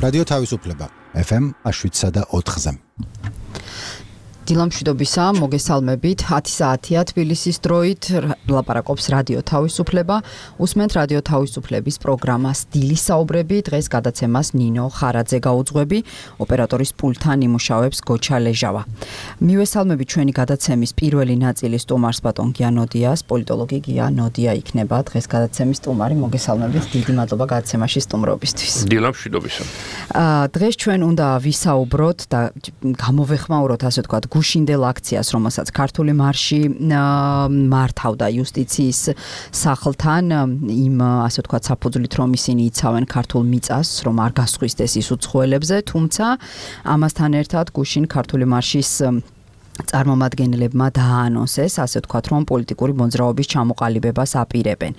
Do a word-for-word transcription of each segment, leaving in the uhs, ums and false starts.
რადიო თავისუფლება ეფ ემ შვიდსა და ოთხზე. დილამშვიდობისა, მოგესალმებით. ათი საათია თბილისის დროით, ლაპარაკობს რადიო თავისუფლება. უსმენთ რადიო თავისუფლების პროგრამას დილის საუბრები. დღეს გადაცემას ნინო ხარაძე გაუძღვები, ოპერატორის პულტთან იმუშავებს გოჩა ლეჟავა. მივესალმებით ჩვენი გადაცემის პირველი ნაწილის სტუმარს ბატონ გია ნოდიას, პოლიტოლოგი გია ნოდია იქნება დღეს გადაცემის სტუმარი. მოგესალმებით, დიდი მადლობა გადაცემაში სტუმრობისთვის. დილამშვიდობისა. დღეს ჩვენ უნდა ვისაუბროთ და გამოვეხმაუროთ, ასე ვთქვათ, გუშინდელ აქციას, რომელსაც ქართული მარში მართავდა იუსტიციის სახლთან, იმ ასე ვთქვათ საფუძვლით, რომ ისინი იცავენ ქართულ მიწას, რომ არ გასხვისდეს ის უცხოელებზე, თუმცა ამასთან ერთად გუშინ ქართული მარშის წარმომადგენლებმა დააანონსეს, ასე ვთქვათ, რომ პოლიტიკური მოძრაობის ჩამოყალიბებას აპირებენ.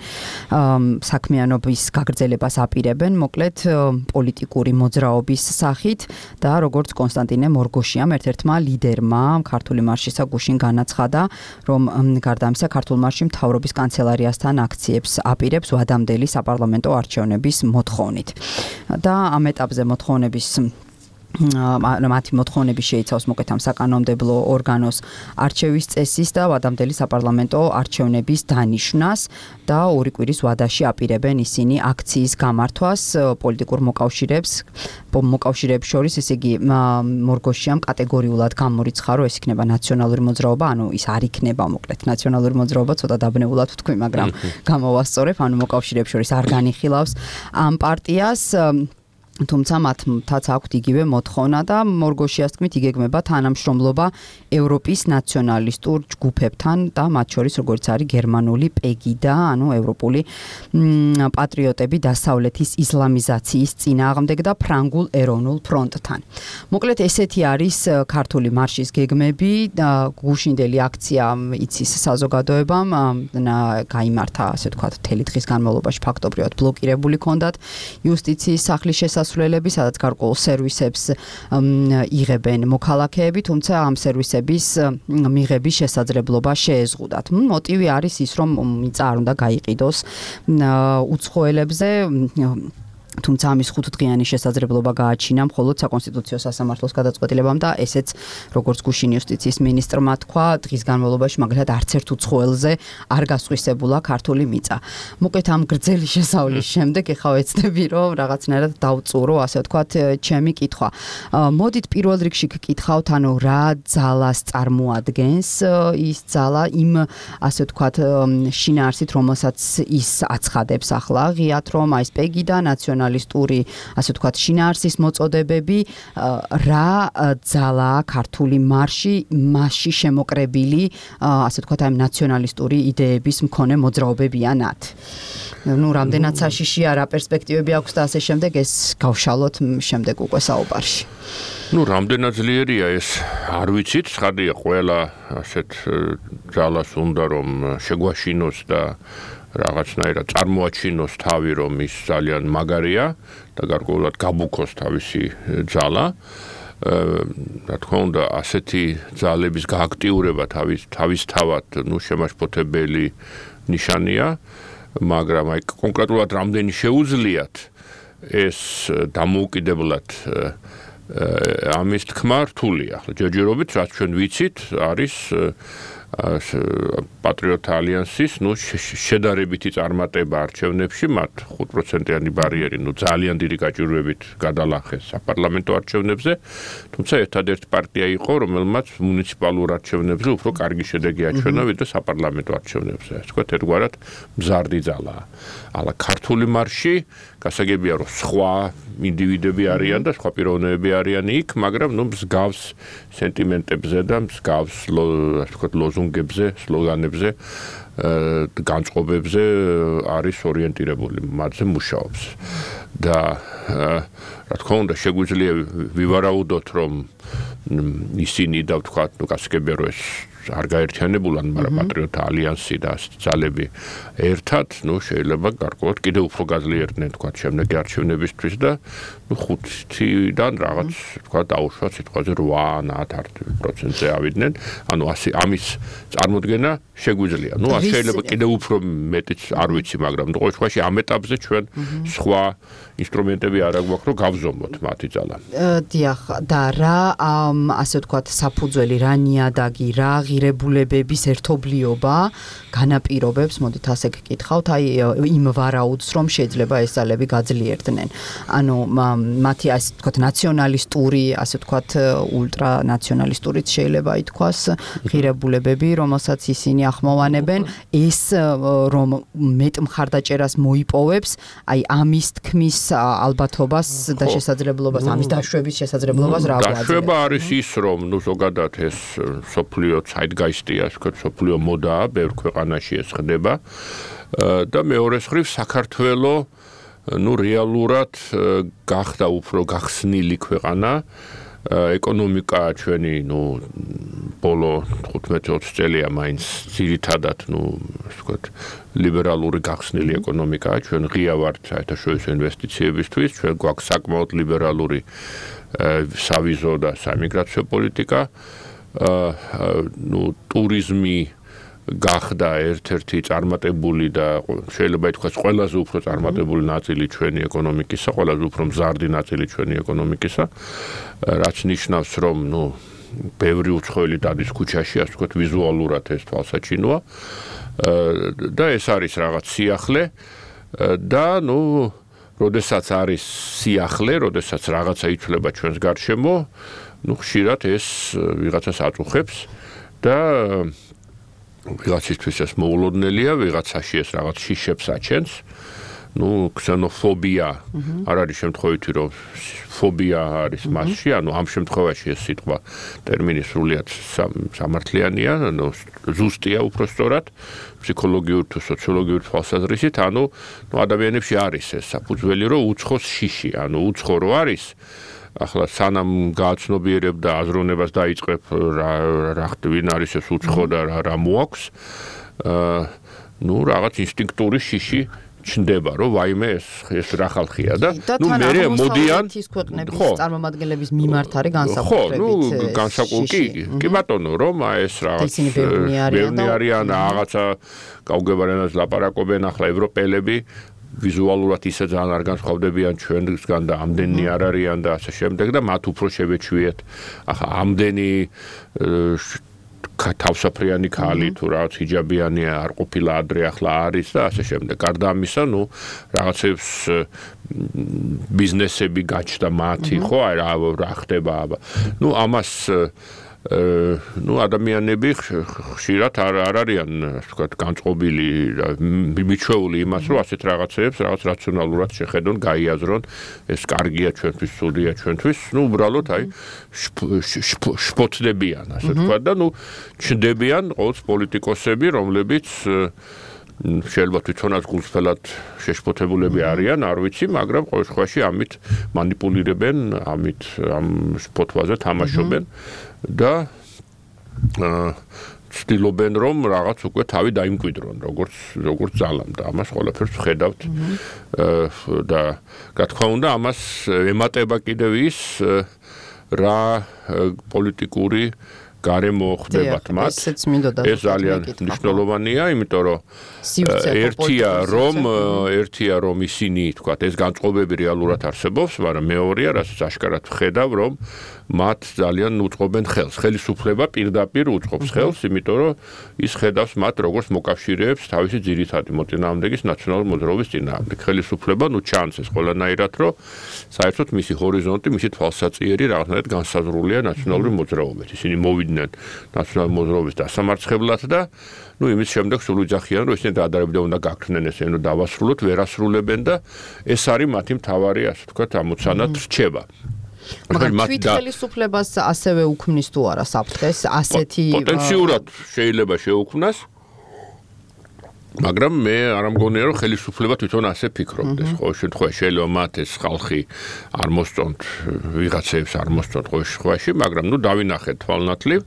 საქმიანობის გაგრძელებას აპირებენ, მოკლედ პოლიტიკური მოძრაობის სახით და როგორც კონსტანტინე მორგოშიამ, ერთ-ერთმა ლიდერმა ქართული მარშისა გუშინ განაცხადა, რომ გარდა ამისა ქართულ მარში მთავრობის კანცელარიასთან აქციებს აპირებს ვადამდელი საპარლამენტო არჩევნების მოთხოვნით. და ამ ეტაპზე მოთხოვნების მათი მოთხოვნები შეიცავს მოკლედ ამ საკანონმდებლო ორგანოს არჩევის წესის და ვადამდელი საპარლამენტო არჩევნების დანიშვნას და ორი კვირის ვადაში აპირებენ ისინი აქციის გამართვას პოლიტიკურ მოკავშირეებს მოკავშირეებს შორის, ესე იგი მორგოშიამ კატეგორიულად გამორიცხა, რომ ეს იქნება ნაციონალური მოძრაობა, ანუ ის არ იქნება მოკლედ ნაციონალური მოძრაობა, ცოტა დაბნეულად ვთქვი, მაგრამ გამოვასწორებ, ანუ მოკავშირეებს შორის არ განიხილავს ამ პარტიას. თუმცა მათაც აქვთ იგივე მოთხოვნა და მორგოშიას თქმით იგეგმება თანამშრომლობა ევროპის ნაციონალისტურ ჯგუფებთან და მათ შორის როგორც არის გერმანული პეგი და ანუ ევროპული პატრიოტები დასავლეთის ისლამიზაციის წინააღმდეგ და ფრანგულ ეროვნულ ფრონტთან. მოკლედ ესეთი არის ქართული მარშის გეგმები და გუშინდელი აქცია იცის საზოგადოებამ გაიმართა, ასე ვთქვათ, მთელი დღის განმავლობაში ფაქტობრივად ბლოკირებული ჰქონდათ იუსტიციის სახლის შესასვლელი სულელები, სადაც გარკვეულ სერვისებს იღებენ მოქალაქეები, თუმცა ამ სერვისების მიღების შესაძლებლობა შეეზღუდათ. მოტივი არის ის, რომ მიწა არ უნდა გაიყიდოს უცხოელებზე, თუმცა ამის ხუთდღიანი შესაძლებლობა გააჩინა მხოლოდ საკონსტიტუციო სასამართლოს გადაწყვეტილებამ და ესეც როგორც გუშინ იუსტიციის მინისტრმა თქვა, დღის განმავლობაში მაგალითად არც ერთ უცხოელზე არ გასხვისებულა ქართული მიწა. მოკლედ ამ გრძელი შესავლის შემდეგ ეხლა ვეცდები, რომ რაღაცნაირად დავწურო, ასე ვთქვათ, ჩემი კითხვა. მოდით პირველ რიგში გკითხავთ, ანუ რა ძალას წარმოადგენს ის ძალა იმ, ასე ვთქვათ, შინაარსით, რომელსაც ის აცხადებს ახლა ღიად, რომ აი ეს პეგი და ნაციონალური ნაციონალისტური, ასე ვთქვათ, შინაარსის მოწოდებები, რა ძალაა ქართული მარში, მასში შემოკრებილი, ასე ვთქვათ, აი ნაციონალისტური იდეების მქონე მოძრაობებიანად. ნუ რამდენად საშიშია, რა პერსპექტივები აქვს და ასე შემდეგ, ეს გავშალოთ შემდეგ უკვე საუბარში. ნუ რამდენად ძლიერია ეს, არ ვიცით, ცხადია ყველა ასეთ ძალას უნდა რომ შეგვაშინოს და რაღაცნაირად წარმოაჩინოს თავი, რომ ის ძალიან მაგარია და გარკვეულად გაბუქოს თავისი ძალა. რა თქმა უნდა, ასეთი ძალების გააქტიურება თავის თავისთავად, ნუ შემაშფოთებელი ნიშანია, მაგრამ აი კონკრეტულად რამდენი შეუძლიათ ეს დამოუკიდებლად ამის თქმა რთულია. ჯერჯერობით, რაც ჩვენ ვიცით, არის პატრიოტთა ალიანსის, ნუ შედარებითი წარმატება არჩევნებში, მათ ხუთ პროცენტიანი ბარიერი, ნუ ძალიან დიდი გაჭირვებით გადალახეს საპარლამენტო არჩევნებზე, თუმცა ერთადერთი პარტია იყო, რომელმაც მუნიციპალურ არჩევნებზე უფრო კარგი შედეგი აჩვენა, ვიდრე საპარლამენტო არჩევნებზე. ასე ვთქვათ, ერთგვარად მზარდი ძალაა. ალა ქართული მარში, გასაგებია, რომ სხვა ინდივიდები არიან და სხვა პიროვნებები არიან იქ, მაგრამ ნუ მსგავს სენტიმენტებზე და მსგავს, ასე ვთქვათ, ლოზუნგებზე, სლოგანებზე, განწყობებზე არის ორიენტირებული, მათზე მუშაობს. და რა თქმა უნდა, შეგვიძლია ვივარაუდოთ, რომ ისინი და ვთქვათ, ნუ გასაგებია, რომ ეს არ გაერთიანებულან, მაგრამ პატრიოტთა ალიანსი და ძალები ერთად, ну, შეიძლება გარკვეულად კიდევ უფრო გაძლიერდნენ, თქვა, შემდეგი არჩევნებისთვის და ну, ხუთიდან რაღაც, თქვა, დაუშვა სიტყვაზე რვა ათ პროცენტზე ავიდნენ. ანუ ასე ამის წარმოდგენა შეგვიძლია. ну, ასე შეიძლება კიდევ უფრო მეტიც არ ვიცი, მაგრამ ყოველ შემთხვევაში ამ ეტაპზე ჩვენ სხვა ინსტრუმენტები არ აგვაქვს, რომ გავზომოთ მათი ძალა. დიახ, და რა, ასე ვთქვათ, საფუძველი, რა ნიადაგი, რა ღირებულებების ერთობლიობა განაპირობებს, მოდით ასე გკითხავთ, აი იმ ვარაუდს, რომ შეიძლება ეს ძალები გაძლიერდნენ. ანუ მათი ასე ვთქვათ, ნაციონალისტური, ასე ვთქვათ, ულტრანაციონალისტურიც შეიძლება ითქვას, ღირებულებები, რომელსაც ისინი ახმოვანებენ, ეს რომ მეტ მხარდაჭერას მოიპოვებს, აი ამის თქმის ალბათობას და შესაძლებლობას, ამის დაშვების შესაძლებლობას რა გვაძლევს? დაშვება არის ის, რომ ნუ ზოგადად ეს სოფლიო zeitgeist-ია, ვთქვათ, სოფლიო მოდაა, ბევრ ქვეყანაში ეს ხდება და მეორეს მხრივ საქართველო ნუ რეალურად გახდა უფრო გახსნილი ქვეყანა, ეკონომიკა ჩვენი ნუ ბოლო თხუთმეტ ოცი წელია მაინც ძირითადად ნუ ასე ვთქვათ ლიბერალური გახსნილი ეკონომიკაა, ჩვენ ღია ვართ საერთაშორისო ინვესტიციებისთვის, ჩვენ გვაქვს საკმაოდ ლიბერალური სავიზო და საიმიგრაციო პოლიტიკა, ნუ ტურიზმი გახდა ერთ-ერთი წარმატებული და შეიძლება ითქვას ყველაზე უფრო წარმატებული ნაწილი ჩვენი ეკონომიკისა, ყველაზე უფრო მზარდი ნაწილი ჩვენი ეკონომიკისა, რაც ნიშნავს, რომ ნუ ბევრი უცხოელი დადის ქუჩაში, ასე ვთქვათ, ვიზუალურად ეს თვალსაჩინოა და ეს არის რაღაც სიახლე და ნუ როდესაც არის სიახლე, როდესაც რაღაცა იცვლება ჩვენს გარშემო, ნუ ხშირად ეს ვიღაცას აწუხებს და ვიღაცისთვის ეს მოულოდნელია, ვიღაცაში ეს რაღაც შიშებს აჩენს. ну, ქსენოფობია არ არის შემთხვევითი, რომ ფობია არის მასში, ანუ ამ შემთხვევაში ეს სიტყვა ტერმინი სრულიად სამართლიანია, ანუ ზუსტია უпростоრად, ფსიქოლოგიურ თუ სოციოლოგიურ თვალსაზრისით, ანუ ну ადამიანებში არის ეს საფუძველი, რომ უცხოს შიში, ანუ უცხო რო არის, ახლა სანამ გააცნობიერებ და აზროვნებას დაიწყებ რა რა ვინ არის ეს უცხო და რა რა მოაქვს, ну რაღაც ინსტინქტური შიში ჩნდება, რომ ვაიმე ეს ეს რა ხალხია და ნუ მე მოდიან ის ქვეყნების წარმომადგენლების მიმართ არის განსაკუთრებით. ხო, ნუ განსაკუთრებით. კი ბატონო, რომ ეს რაღაც ბევრი არიან რაღაცა გაუგებარენას ლაპარაკობენ ახლა ევროპელები ვიზუალურად ისე ძალიან არ განსხვავდებიან ჩვენგან და ამდენი არ არიან და ასე შემდეგ და მათ უფრო შევეჩვიეთ. ახლა ამდენი თავსაფრიანი ქალი თუ რაღაც ჰიჯაბიანია არ ყოფილა ადრე ახლა არის და ასე შემდეგ. გარდა ამისა, ნუ რაღაცებს ბიზნესები გაჩნდა მათი, ხო, აი რა რა ხდება. ნუ ამას ну ადამიანები ხშირად არ არ არიან, ასე ვთქვათ, განწყობილი და მიჩვეული იმას, რომ ასეთ რაღაცებს რაღაც რაციონალურად შეხედონ, გაიაზრონ, ეს კარგია ჩვენთვის, სულია ჩვენთვის, ну უბრალოდ აი შფოთდებიან, ასე ვთქვათ და ну ჩნდებიან ყოველს პოლიტიკოსები, რომლებიც შეიძლება თვითონაც გულწრფელად შეშფოთებულები არიან, არ ვიცი, მაგრამ ყოველ შემთხვევაში ამით манипуლირებენ, ამით ამ შფოთვაზე თამაშობენ და ცდილობენ რომ რაღაც უკვე თავი დაიმკვიდრონ, როგორც როგორც ძალამ და ამას ყველაფერს ვხედავთ და რა თქმა უნდა ამას ემატება კიდევ ის რა პოლიტიკური გარემო ხდებათ მათ. ეს ძალიან მნიშვნელოვანია, იმიტომ რომ ერთია რომ ერთია რომ ისინი, თქვათ, ეს განწყობები რეალურად არსებობს, მაგრამ მეორეა, რასაც აშკარად ვხედავ, რომ მათ ძალიან უწყობენ ხელს. ხელისუფლება პირდაპირ უწყობს ხელს, იმიტომ რომ ის ხედავს მათ როგორც მოკავშირეებს თავისი ძირითადი მოწინააღმდეგის ნაციონალური მოძრაობის წინააღმდეგ. ხელისუფლება ნუ ჩანს ეს ყველანაირად, რომ საერთოდ მისი ჰორიზონტი, მისი თვალსაწიერი რაღაცნაირად განსაზღვრულია ნაციონალური მოძრაობით. ისინი მოვიდნენ ნაციონალური მოძრაობის დასამარცხებლად და ну იმის შემდეგ სულ ვიძახიან, რომ ისინი დაადარებდნენ უნდა გაქრნენ ესე, რომ დავასრულოთ, ვერ ასრულებენ და ეს არის მათი მთავარი, ასე ვთქვათ, ამოცანად რჩება. მაგრამ თვითხელისუფლებას ასევე უქმნის თუ არა საფრთხეს ასეთი პოტენციურად შეიძლება შეუქმნას. მაგრამ მე არ მგონია რომ ხელისუფლება თვითონ ასე ფიქრობდეს. ხო, შემთხვევაში შეიძლება მათ ეს ხალხი არ მოსწონთ, ვიღაცებს არ მოსწონთ ყოველ შემთხვევაში, მაგრამ ნუ დავინახეთ თვალნათლივ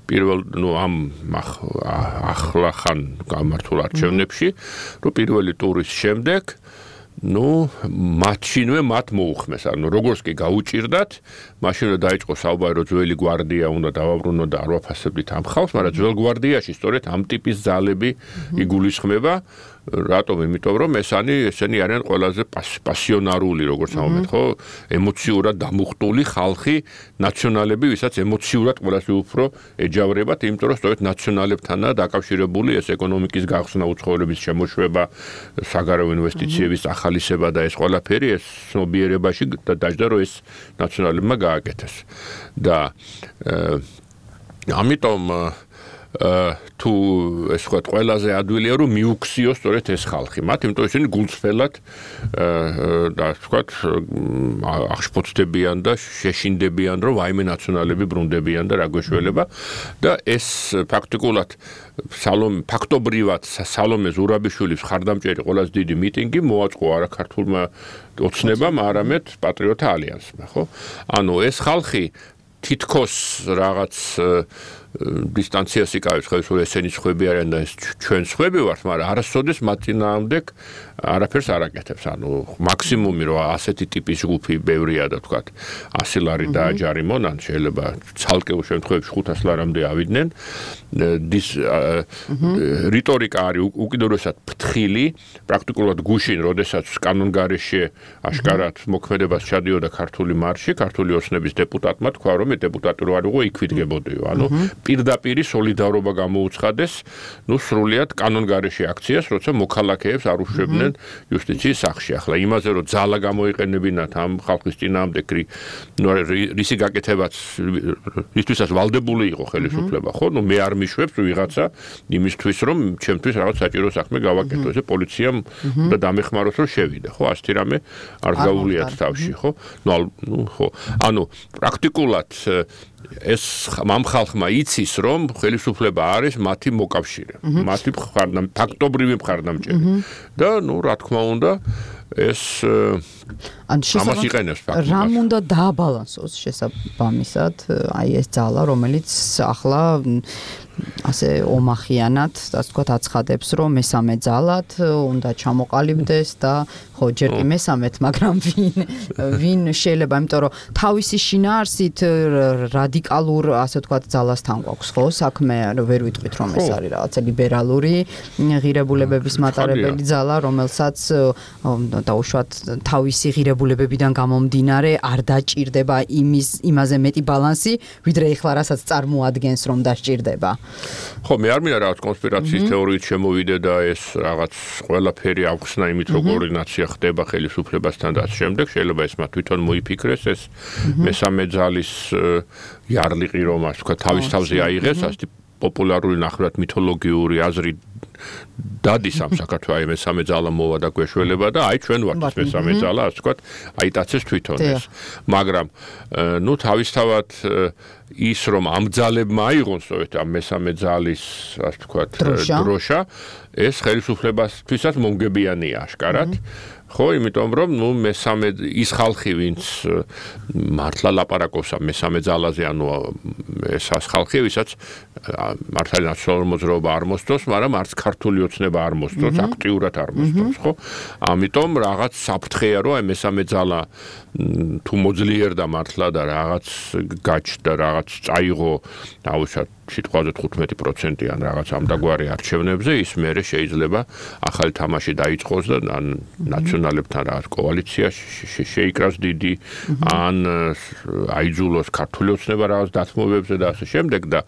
პირველ ნუ ამ ახლა ხან გამართულ არჩევნებში, რომ პირველი ტურის შემდეგ ну, მაშინვე მათ მოუხმეს, ანუ როგორც კი გაუჭირდათ, მაშინვე დაიწყო საუბარი, რომ ძველი გვარდია უნდა დავაბრუნო და არ ვაფასებდით ამ ხალხს, მაგრამ ძველ გვარდიაში სწორედ ამ ტიპის ძალები იგულისხმება, რატომ? იმიტომ რომ ესენი ესენი არიან ყველაზე პასიონარული, როგორც ამბობთ, ხო, ემოციურად დამუხტული ხალხი, ნაციონალები, ვისაც ემოციურად ყველაზე უფრო ეჯავრებათ, იმიტომ რომ სწორედ ნაციონალებთანაა დაკავშირებული ეს ეკონომიკის გახსნა, უცხოელების შემოშვება, საგარეო ინვესტიციების ახალისება და ეს ყველაფერი ეს ცნობიერებაში დაჯდა, რომ ეს ნაციონალებმა გააკეთეს. და ამიტომ თუ ეს ვთქვათ, ყველაზე ადვილია რომ მიუქციოს სწორედ ეს ხალხი. მათ იმიტომ ისინი გულწრფელად და ვთქვათ, აღშფოთდებიან და შეშინდებიან, რომ ვაიმე ნაციონალები ბრუნდებიან და რა გვეშველება და ეს ფაქტიკულად სალომე ფაქტობრივად სალომე ზურაბიშვილის ხარდამჭერი ყველაზე დიდი მიტინგი მოაწყო არა ქართულმა ოცნებამ, არამედ პატრიოტთა ალიანსმა, ხო? ანუ ეს ხალხი თითქოს რაღაც დისტანციას იკავებს, ხო, ესენი სხვები არიან და ეს ჩვენ სხვები ვართ, მაგრამ არასოდეს მათ წინააღმდეგ არაფერს არ აკეთებს. ანუ მაქსიმუმი რომ ასეთი ტიპის ჯგუფი ბევრია და თქვათ ასი ლარი დააჯარიმონ, ან შეიძლება ცალკეულ შემთხვევებში ხუთას ლარამდე ავიდნენ. დის რიტორიკა არის უკიდურესად ფრთხილი, პრაქტიკულად გუშინ, როდესაც კანონგარეშე აშკარად მოქმედებას ჩადიოდა ქართული მარში, ქართული ოცნების დეპუტატმა თქვა, რომ დეპუტატი რო არ იყო, იქ ვიდგებოდიო. ანუ პირდაპირი სოლიდარობა გამოუცხადეს, ну, სრულიად კანონგარეშე აქციას, როცა მოქალაქეებს არ უშვებდნენ იუსტიციის სახლში. ახლა იმაზე, რომ ძალა გამოიყენებინათ ამ ხალხის წინააღმდეგ, ну, რისი გაკეთებაც ისთვისაც ვალდებული იყო ხელისუფლება, ხო? ну, მე არ მიშვებს ვიღაცა იმისთვის, რომ ჩემთვის რაღაც საჭირო საქმე გავაკეთო, ესე პოლიციამ და დამეხმაროს, რომ შევიდე, ხო? ასეთი რამე არ გაუვლიათ თავში, ხო? ну, ну, ხო. ანუ პრაქტიკულად ეს ამ ხალხმა იცის, რომ ხელისუფლება არის მათი მოკავშირე, მათი მხარდამჭერი, ფაქტობრივი მხარდამჭერი. და, ну, რა თქმა უნდა, ეს ამას იყენებს ფაქტობრივად. რამ უნდა დააბალანსოს შესაბამისად აი ეს ძალა, რომელიც ახლა ასე ომახიანად, ასე ვთქვათ, აცხადებს, რომ მესამე ძალად უნდა ჩამოყალიბდეს და ხო, ჯერ კი მესამეთ, მაგრამ ვინ ვინ შეიძლება, იმიტომ რომ თავისი შინაარსით რადიკალურ, ასე ვთქვათ, ძალასთან გვაქვს, ხო, საქმე, ვერ ვიტყვით, რომ ეს არის რაღაცა ლიბერალური ღირებულებების მატარებელი ძალა, რომელსაც დაუშვათ თავისი ღირებულებებიდან გამომდინარე არ დაჭირდება იმის იმაზე მეტი ბალანსი, ვიდრე ეხლა რასაც წარმოადგენს, რომ დაჭირდება. ხო, მე არ მინდა რაღაც კონსპირაციის თეორიით შემოვიდე და ეს რაღაც ყველაფერი ავხსნა იმით, რომ კოორდინაცია ხდება ხელისუფლებასთან და ამ შემდეგ შეიძლება ეს მათ თვითონ მოიფიქრეს ეს მესამე ძალის იარლიყი, რომ ასე ვთქვათ, თავის თავზე აიღეს, ასეთი პოპულარული ნახევრად მითოლოგიური აზრი დადის ამ საქართველოს, აი მესამე ძალა მოვა და გვეშველება და აი ჩვენ ვართ მესამე ძალა, ასე ვთქვათ, აიტაცეს თვითონ ეს. მაგრამ ну, თავისთავად ის რომ ამ ძალებმა აიღონ სწორედ ამ მესამე ძალის, ასე ვთქვათ, დროშა, ეს ხელისუფლებასთვისაც მომგებიანია აშკარად. ხო, იმიტომ რომ ნუ მესამე ის ხალხი, ვინც მართლა ლაპარაკობს ამ მესამე ძალაზე, ანუ ეს ხალხი, ვისაც მართალი ნაციონალური მოძრაობა არ მოსწონს, მაგრამ არც ქართული ოცნება არ მოსწონს, აქტიურად არ მოსწონს, ხო? ამიტომ რაღაც საფრთხეა, რომ აი მესამე ძალა თუ მოძლიერდა მართლა და რაღაც გაჩნდა, რაღაც წაიღო, დავუშვათ სიტყვაზე თხუთმეტი პროცენტი ან რაღაც ამდაგვარი არჩევნებზე, ის მერე შეიძლება ახალი თამაში დაიწყოს და ან ნაციონალებთან რაღაც კოალიცია შეიკრას დიდი, ან აიძულოს ქართული ოცნება რაღაც დათმობებზე და ასე შემდეგ და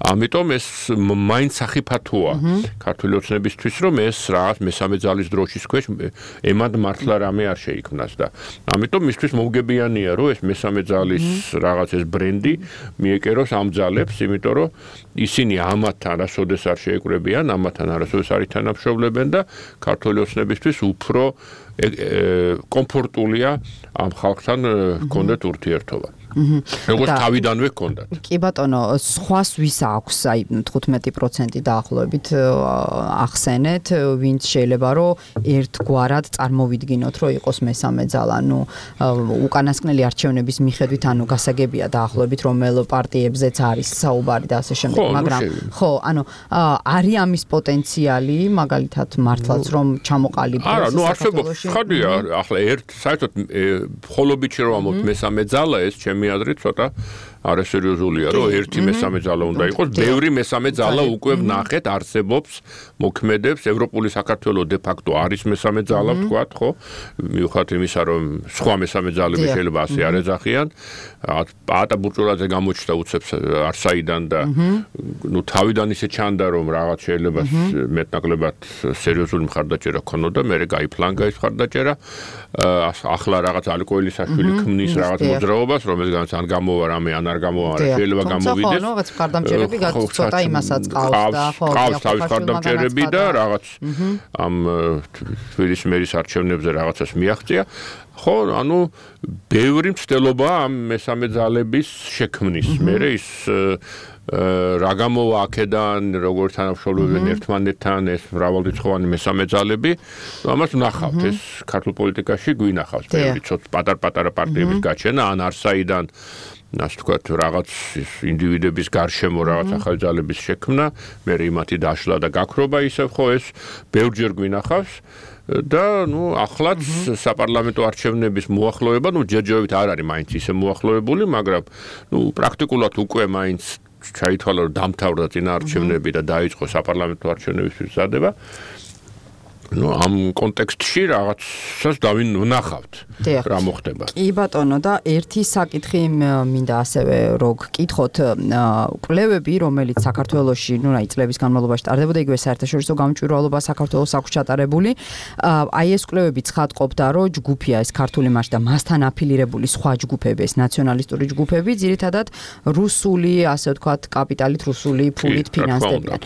ამიტომ ეს მაინც სახიფათოა ქართული ოცნებისთვის, რომ ეს რაღაც მესამე ძალის დროშის ქვეშ ემად მართლა რამე არ შეიქმნას და ამიტომ მისთვის მომგებიანია, რომ ეს მესამე ძალის რაღაც ეს ბრენდი მიეკეროს ამ ძალებს, იმიტომ რომ ისინი ამათთან არასოდეს არ შეეკრებიან, ამათთან არასოდეს არ ითანამშრომლებენ და ქართული ოცნებისთვის უფრო კომფორტულია ამ ხალხთან ჰქონდეთ ურთიერთობა. როგორც თავიდანვე ჰქონდათ. კი ბატონო, სხვას ვის აქვს აი თხუთმეტი პროცენტი დაახლოებით ახსენეთ, ვინც შეიძლება რომ ერთგვარად წარმოვიდგინოთ, რომ იყოს მესამე ძალა, ნუ უკანასკნელი არჩევნების მიხედვით, ანუ გასაგებია დაახლოებით რომელ პარტიებზეც არის საუბარი და ასე შემდეგ, მაგრამ ხო, ანუ არის ამის პოტენციალი, მაგალითად მართლაც რომ ჩამოყალიბდეს. არა, ნუ არსებობს, ხადია, ახლა ერთ საერთოდ მხოლობითში რომ ამოთ მესამე ძალა, ეს ჩემი აზრით ცოტა არასერიოზულია, რომ ერთი მესამე ძალა უნდა იყოს, ბევრი მესამე ძალა უკვე ვნახეთ, არსებობს, მოქმედებს, ევროპული საქართველოს de facto არის მესამე ძალა, ვთქვათ, ხო? მიუხედავად იმისა, რომ სხვა მესამე ძალები შეიძლება ასე არ ეძახიან, პაატა ბურჭულაძე გამოჩნდა უცებს არსაიდან და ნუ თავიდან ისე ჩანდა, რომ რაღაც შეიძლება მეტნაკლებად სერიოზული მხარდაჭერა ქონოდა, მერე გაიფლანგა ეს მხარდაჭერა, ახლა რაღაც ალკოელისაშვილი ქმნის რაღაც მოძრაობას, რომელზეც ან გამოვა რამე ან არ გამოვა, შეიძლება გამოვიდეს. ხო, რაღაც მხარდამჭერები გაწოთა იმასაც ყავს და ხო, ყავს თავის მხარდამჭერები და რაღაც ამ თბილისის მერის არჩევნებზე რაღაცას მიაღწია. ხო, ანუ ბევრი მცდელობა ამ მესამე ძალების შექმნის. მერე ის რა გამოვა აქედან, როგორ თანამშრომლობენ ერთმანეთთან ეს მრავალრიცხოვანი მესამე ძალები, ამას ვნახავთ, ეს ქართულ პოლიტიკაში გვინახავს, ბევრი ცოტა პატარ-პატარა პარტიების გაჩენა, ან არსაიდან ასე ვთქვათ, რაღაც ინდივიდების გარშემო რაღაც ახალი ძალების შექმნა, მერე იმათი დაშლა და გაქრობა ისევ ხო ეს ბევრჯერ გვინახავს. და ნუ ახლაც საპარლამენტო არჩევნების მოახლოება, ნუ ჯერჯერობით არ არის მაინც ისე მოახლოებული, მაგრამ ნუ პრაქტიკულად უკვე მაინც ჩაითვალა რომ დამთავრდა წინა არჩევნები და დაიწყო საპარლამენტო არჩევნებისთვის მზადება. ნუ ამ კონტექსტში რაღაცას დავინახავთ რა მოხდება. კი ბატონო და ერთი საკითხი მინდა ასევე რო გკითხოთ, კვლევები, რომელიც საქართველოში, ნუ რაი წლების განმავლობაში ტარდებოდა, იგივე საერთაშორისო გამჭვირვალობა საქართველოს აქვს ჩატარებული, აი ეს კვლევები ცხადყოფდა, რომ ჯგუფია ეს ქართული მარში და მასთან აფილირებული სხვა ჯგუფები, ეს ნაციონალისტური ჯგუფები, ძირითადად რუსული, ასე ვთქვათ, კაპიტალით, რუსული ფულით ფინანსდებიან.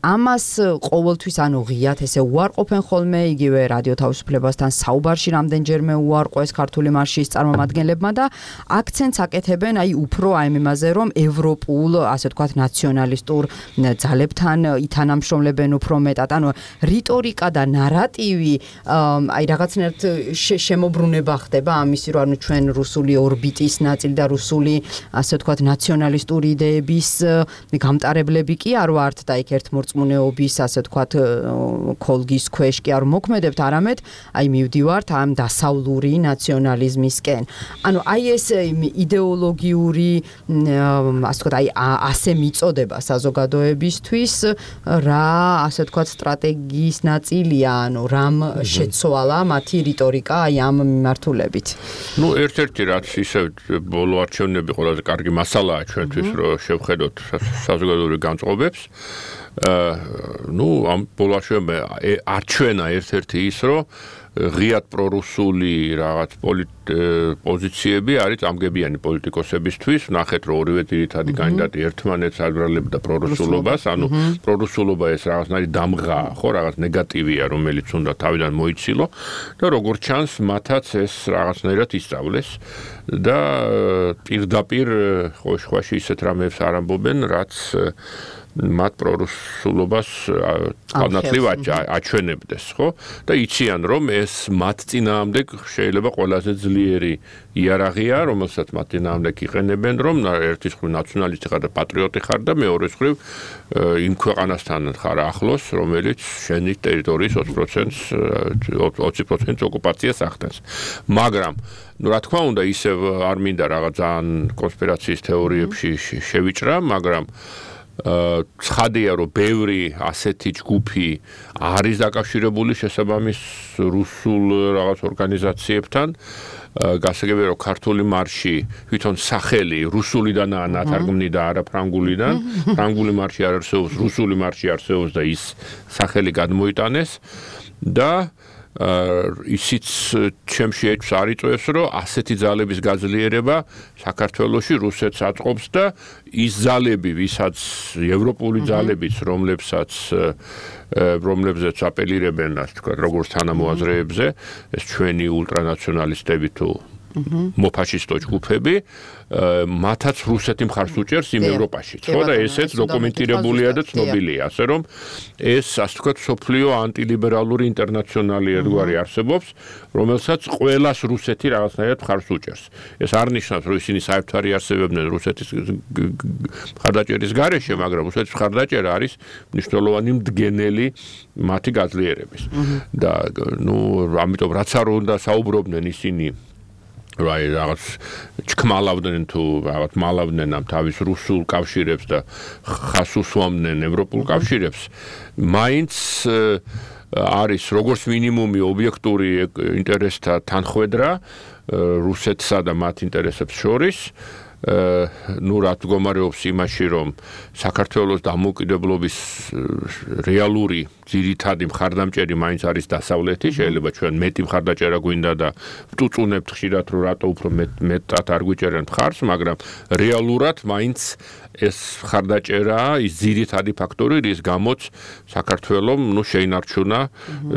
ამას ყოველთვის ანუ ღიათ ესე უარყოფენ ხოლმე, იგივე რადიო თავისუფლებასთან საუბარში რამდენჯერმე უარყვეს ქართული მარშის წარმომადგენლებმა და აქცენტს აკეთებენ აი უფრო აი იმაზე, რომ ევროპულ, ასე ვთქვათ, ნაციონალისტურ ძალებთან ითანამშრომლებენ უფრო მეტად. ანუ რიტორიკა და ნარატივი აი რაღაცნაირად შემოbrunება ხდება ამისი, რომ ანუ ჩვენ რუსული ორბიტის ნაწილი და რუსული, ასე ვთქვათ, ნაციონალისტური იდეების გამტარებლები კი არ ვართ და იქ ერთმორწმუნეობის, ასე ვთქვათ, ქოლგის ქვეშ კი არ მოქმედებთ, არამედ აი მივდივართ ამ დასავლური ნაციონალიზმისკენ. ანუ აი ეს იდეოლოგიური, ასე ვთქვათ, აი ასე მიწოდება საზოგადოებისთვის, რა, ასე ვთქვათ, სტრატეგიის ნაწილია, ანუ რამ შეცვალა მათი რიტორიკა აი ამ მიმართულებით. ნუ ერთ-ერთი რაც ისე ბოლო არჩევნები ყველაზე კარგი მასალაა ჩვენთვის, რომ შევხედოთ საზოგადოებრივ განწყობებს. ნუ ამ ბოლო არჩევნებში არჩენა ერთ-ერთი ის, რომ ღიად პრორუსული რაღაც პოზიციები არის წამგებიანი პოლიტიკოსებისთვის. ნახეთ, რომ ორივე ძირითადი კანდიდატი ერთმანეთს აბრალებდა პრორუსულობას, ანუ პრორუსულობა ეს რაღაცნაირი დამღაა, ხო, რაღაც ნეგატივია, რომელიც უნდა თავიდან მოიცილო და როგორც ჩანს, მათაც ეს რაღაცნაირად ისწავლეს და პირდაპირ ხოშხვაში ისეთ რამებს არ ამბობენ, რაც მათ პრორუსულობას განათლივ აჩვენებდეს, ხო? და იციან, რომ ეს მათ წინააღმდეგ შეიძლება ყველაზე ძლიერი იარაღია, რომელსაც მათ წინააღმდეგ იყენებენ, რომ ერთის მხრივ ნაციონალისტი ხარ და პატრიოტი ხარ და მეორეს მხრივ იმ ქვეყანასთან ხარ ახლოს, რომელიც შენი ტერიტორიის ოცი პროცენტს ოცი პროცენტს ოკუპაციას ახდენს. მაგრამ ნუ რა თქმა უნდა, ისევ არ მინდა რაღაც ძალიან კონსპირაციის თეორიებში შევიჭრა, მაგრამ ცხადია, რომ ბევრი ასეთი ჯგუფი არის დაკავშირებული შესაბამის რუსულ რაღაც ორგანიზაციებთან. გასაგებია, რომ ქართული მარში თვითონ სახელი რუსულიდანაა ნათარგმნი და არა ფრანგულიდან. ფრანგული მარში არ არსებობს, რუსული მარში არსებობს და ის სახელი გადმოიტანეს და ისიც ჩემში ეჭვს არ იწვევს, რომ ასეთი ძალების გაძლიერება საქართველოში რუსეთს აწყობს და ის ძალები, ვისაც ევროპული ძალებიც, რომლებსაც რომლებზეც აპელირებენ, ასე ვთქვათ, როგორც თანამოაზრეებზე, ეს ჩვენი ულტრანაციონალისტები თუ მოფაშისტო ჯგუფები მათაც რუსეთი მხარს უჭერს იმ ევროპაში. ხო და ესეც დოკუმენტირებულია და ცნობილია, ასე რომ ეს ასე ვთქვათ სოფლიო ანტილიბერალური ინტერნაციონალი ერთგვარი არსებობს, რომელსაც ყველას რუსეთი რაღაცნაირად მხარს უჭერს. ეს არ ნიშნავს, რომ ისინი საერთოდ არ იარსებებდნენ რუსეთის მხარდაჭერის გარეშე, მაგრამ რუსეთის მხარდაჭერა არის მნიშვნელოვანი მდგენელი მათი გაძლიერების. და ნუ ამიტომ რაც არ უნდა საუბრობდნენ ისინი რა რაღაც ჩქმალავდნენ თუ რაღაც მალავდნენ ამ თავის რუსულ კავშირებს და ხას უსვამდნენ ევროპულ კავშირებს, მაინც არის როგორც მინიმუმი ობიექტური ინტერესთა თანხვედრა რუსეთსა და მათ ინტერესებს შორის. ნუ რა მდგომარეობს იმაში, რომ საქართველოს დამოუკიდებლობის რეალური ძირითადი მხარდამჭერი მაინც არის დასავლეთი, შეიძლება ჩვენ მეტი მხარდაჭერა გვინდა და ვწუწუნებთ ხშირად, რომ რატო უფრო მეტად არ გვიჭერენ მხარს, მაგრამ რეალურად მაინც ეს მხარდაჭერა ის ძირითადი ფაქტორი, რის გამოც საქართველოს ნუ შეინარჩუნა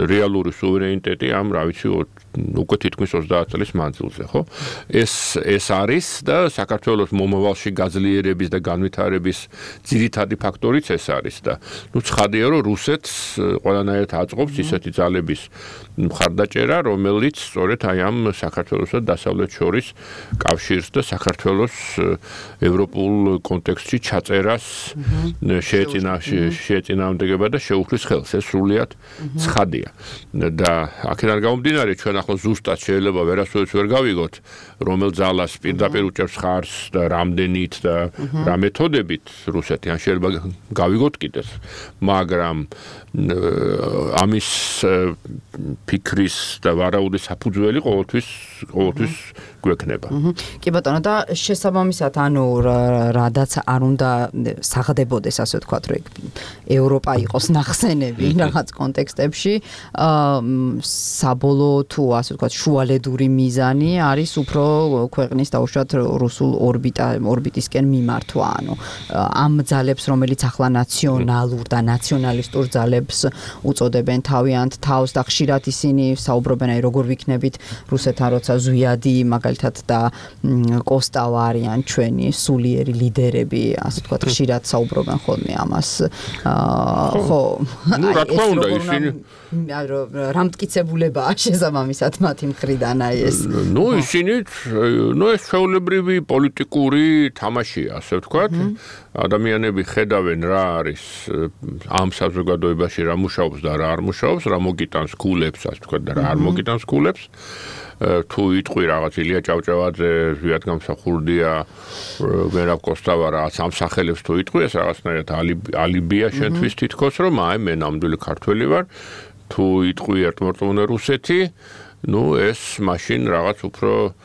რეალური სუვერენიტეტი ამ რა ვიცი უკვე თითქმის ოცდაათ წლის მანძილზე, ხო? ეს ეს არის და საქართველოს მომავალში გაძლიერების და განვითარების ძირითადი ფაქტორიც ეს არის და ნუ ცხადია, რომ რუსეთს ყველანაირად აწყობს ისეთი ძალების მხარდაჭერა, რომელიც სწორედ აი ამ საქართველოსა და დასავლეთ შორის კავშირს და საქართველოს ევროპულ კონტექსტში ჩაწერას შეეწინააღმდეგება და შეუხლის ხელს. ეს სრულიად ცხადია. და აქედან გამომდინარე ჩვენ ახლა ზუსტად შეიძლება ვერასოდეს ვერ გავიგოთ, რომელ ძალას პირდაპირ უჭერს ხარს და რამდენით და რა მეთოდებით რუსეთი, ან შეიძლება გავიგოთ კიდეც, მაგრამ ამის ფიქრის და ვარაუდის საფუძველი ყოველთვის ყოველთვის გვექნება. კი ბატონო, და შესაბამისად, ანუ რადაც არ უნდა საღდებოდეს, ასე ვთქვათ, რომ ევროპა იყოს ნახსენები რაღაც კონტექსტებში, საბოლოო თუ ასე ვთქვათ, შუალედური მიზანი არის უფრო ქვეყნის დაუშვათ რუსულ ორბიტა ორბიტისკენ მიმართვა, ანუ ამ ძალებს, რომელიც ახლა ნაციონალურ და ნაციონალისტურ ძალებს უწოდებენ თავიანთ თავს და ხშირად ისინი საუბრობენ, აი როგორ ვიქნებით რუსეთთან, როცა ზვიადი მაგალითად და კოსტავა არიან ჩვენი სულიერი ლიდერები, ასე ვთქვათ, ხშირად საუბრობენ ხოლმე ამას. ხო, ნუ რა თქმა უნდა, ისინი რა მტკიცებულებაა შესაბამისად მათი მხრიდან აი ეს. ნუ ისინი, ნუ ეს ჩვეულებრივი პოლიტიკური თამაშია, ასე ვთქვათ. ადამიანები ხედავენ რა არის ამ საზოგადოებაში რა მუშაობს და რა არ მუშაობს, რა მოგიტანს ქულებს, ასე ვთქვათ, და რა არ მოგიტანს ქულებს. თუ იტყვი რაღაც ილია ჭავჭავაძე, ზვიად გამსახურდია, მერაბ კოსტავა რაღაც ამ სახელებს თუ იტყვი, ეს რაღაცნაირად ალიბია შენთვის თითქოს, რომ აი მე ნამდვილი ქართველი ვარ. თუ იტყვი ერთმორწმუნე რუსეთი, ნუ ეს მაშინ რაღაც უფრო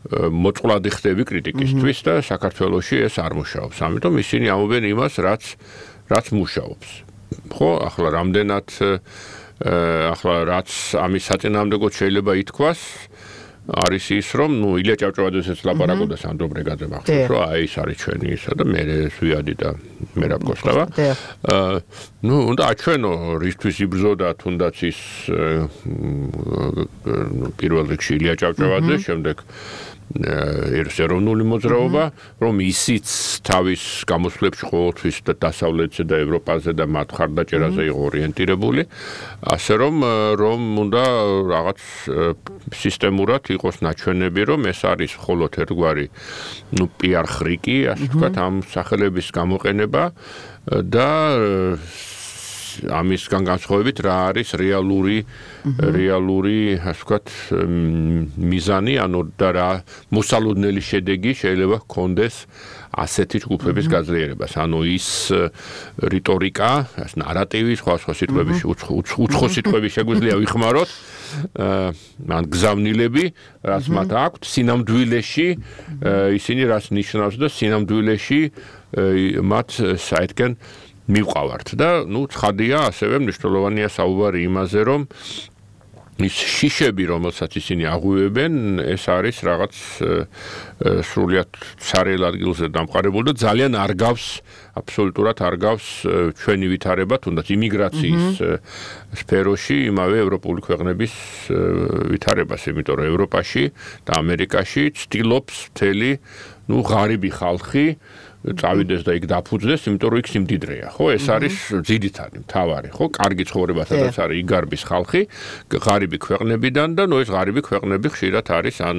მოწყვლადი ხდები კრიტიკისთვის და საქართველოში ეს არ მუშაობს. ამიტომ ისინი ამობენ იმას, რაც რაც მუშაობს. ხო, ახლა რამდენად ახლა რაც ამის საწინააღმდეგოდ შეიძლება ითქვას, არის ის, რომ ნუ ილია ჭავჭავაძესაც ლაპარაკობდა სანდრო ბრეგაძემ ახლა, რომ აი ეს არის ჩვენი ისა და მე ზვიადი და მერაბ კოსტავა. ნუ უნდა აჩვენო რისთვის იბრძოდა თუნდაც ის პირველ რიგში ილია ჭავჭავაძე, შემდეგ ეროვნული მოძრაობა, რომ ისიც თავის გამოსვლებში ყოველთვის და დასავლეთზე და ევროპაზე და მათ მხარდაჭერაზე იყო ორიენტირებული, ასე რომ რომ უნდა რაღაც სისტემურად იყოს ნაჩვენები, რომ ეს არის მხოლოდ ერთგვარი ნუ პიარ ხრიკი, ასე ვთქვათ, ამ სახელების გამოყენება და ამისგან განსხვავებით რა არის რეალური რეალური, ასე ვთქვათ, მიზანი, ანუ და რა მოსალოდნელი შედეგი შეიძლება ჰქონდეს ასეთი ჯგუფების გაძლიერებას. ანუ ის რიტორიკა, ეს ნარატივი, სხვა სხვა სიტყვების უცხო სიტყვები შეგვიძლია ვიხმაროთ, ან გზავნილები, რაც მათ აქვთ, სინამდვილეში ისინი რაც ნიშნავს და სინამდვილეში მათ საერთგან მივყავართ და ნუ ცხადია ასევე მნიშვნელოვანია საუბარი იმაზე, რომ ის შიშები, რომელსაც ისინი აღვივებენ, ეს არის რაღაც სრულიად ცარიელ ადგილზე დამყარებული და ძალიან არ გავს, აბსოლუტურად არ გავს ჩვენი ვითარება, თუნდაც იმიგრაციის სფეროში იმავე ევროპული ქვეყნების ვითარებას, იმიტომ რომ ევროპაში და ამერიკაში ცდილობს მთელი, ნუ ღარიბი ხალხი წავიდეს და იქ დაფუძნდეს, იმიტომ რომ იქ სიმდიდრეა, ხო? ეს არის ძირითადი, მთავარი, ხო? კარგი ცხოვრება, სადაც არის იგარბის ხალხი, ღარიბი ქვეყნებიდან და ნუ ეს ღარიბი ქვეყნები ხშირად არის ან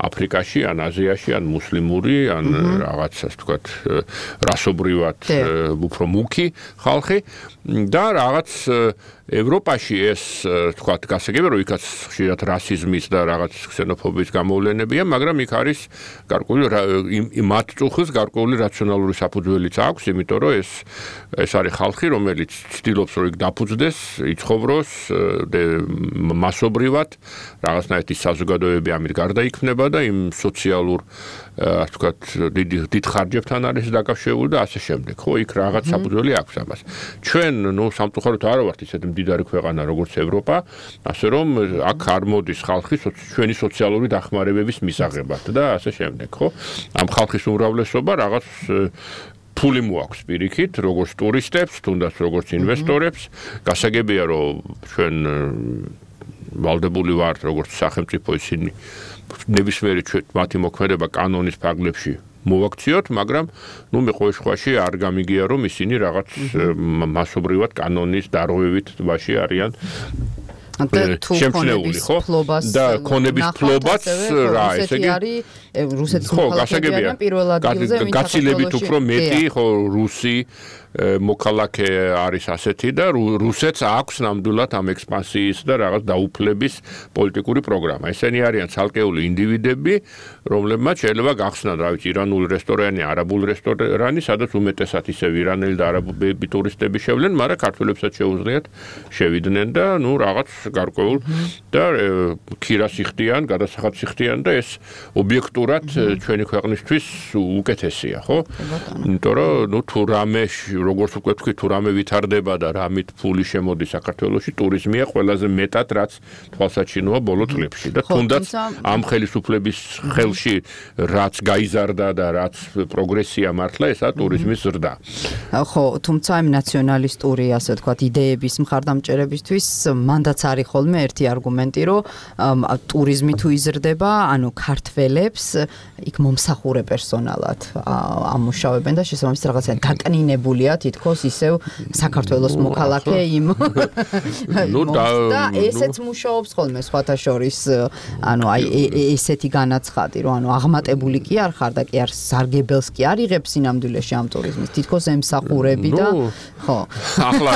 აფრიკაში, ან აზიაში, ან მუსლიმური, ან რაღაც ასე ვთქვათ, რასობრივად უფრო მუქი ხალხი და რაღაც ევროპაში ეს თქვათ გასაგებია რომ იქაც ხშირად რასიზმის და რაღაც ქსენოფობიის გამოვლენებია, მაგრამ იქ არის გარკვეული მათ წუხის გარკვეული რაციონალური საფუძველიც აქვს, იმიტომ რომ ეს ეს არის ხალხი, რომელიც ცდილობს რომ იქ დაფუძნდეს, იცხოვროს მასობრივად, რაღაცნაირი საზოგადოებები ამით გარდაიქმნება და იმ სოციალურ ასე ვთქვათ დიდ ხარჯებთან არის დაკავშირებული და ასე შემდეგ. ხო, იქ რაღაც საფუძველი აქვს ამას. ჩვენ ნუ სამწუხაროდ არ ვართ ისეთი მდიდარი ქვეყანა როგორც ევროპა, ასე რომ აქ არ მოდის ხალხი ჩვენი სოციალური დახმარებების მისაღებად და ასე შემდეგ, ხო? ამ ხალხის უმრავლესობა რაღაც ფული მოაქვს პირიქით, როგორც ტურისტებს, თუნდაც როგორც ინვესტორებს. გასაგებია რომ ჩვენ ვალდებული ვართ როგორც სახელმწიფო ისინი ნებისმიერი მათი მოქმედება კანონის ფარგლებში მოვაქციოთ, მაგრამ ნუ მე ყოველ შემთხვევაში არ გამიგია რომ ისინი რაღაც მასობრივად კანონის დარღვევით ტბაში არიან შემჩნეული, ხო? და ქონების ფლობაც რა, ესე იგი არის რუსეთის მოქალაქეები არიან პირველ ადგილზე, ვინც გაცილებით უფრო მეტი, ხო, რუსი მოქალაქე არის ასეთი და რუსეთს აქვს ნამდვილად ამ ექსპანსიის და რაღაც დაუფლების პოლიტიკური პროგრამა. ესენი არიან ცალკეული ინდივიდები, რომლებმაც შეიძლება გახსნან, რა ვიცი, ირანული რესტორანი, არაბული რესტორანი, სადაც უმეტესად ისევ ირანელი და არაბები ტურისტები შევლენ, მაგრამ ქართველებსაც შეუძლიათ შევიდნენ და ნუ რაღაც გარკვეულ და ქირას იხდიან, გადასახადს იხდიან და ეს ობიექტურად ჩვენი ქვეყნისთვის უკეთესია, ხო? იმიტომ რომ ნუ თუ რამე როგორც უკვე თქვი, თუ რამე ვითარდება და რამით ფული შემოდის საქართველოში, ტურიზმია ყველაზე მეტად რაც თვალსაჩინოა ბოლო წლებში და თუნდაც ამ ხელისუფლების ხელში რაც გაიზარდა და რაც პროგრესია მართლა, ესაა ტურიზმის ზრდა. ხო, თუმცა იმ ნაციონალისტური, ასე ვთქვათ, იდეების მხარდამჭერებისთვის მანდაც არის ხოლმე ერთი არგუმენტი, რომ ტურიზმი თუ იზრდება, ანუ ქართველებს იქ მომსახურე პერსონალად ამუშავებენ და შესაბამისად რაღაცა დაკნინებულია თითქოს ისევ საქართველოს მოქალაქე იმ და ესეც მუშაობს ხოლმე სხვათა შორის, ანუ აი ესეთი განაცხადი, რომ ანუ აღმატებული კი არ ხარ და კი არ სარგებელს კი არ იღებს სინამდვილეში ამ ტურიზმის, თითქოს ემსახურები და ხო. ახლა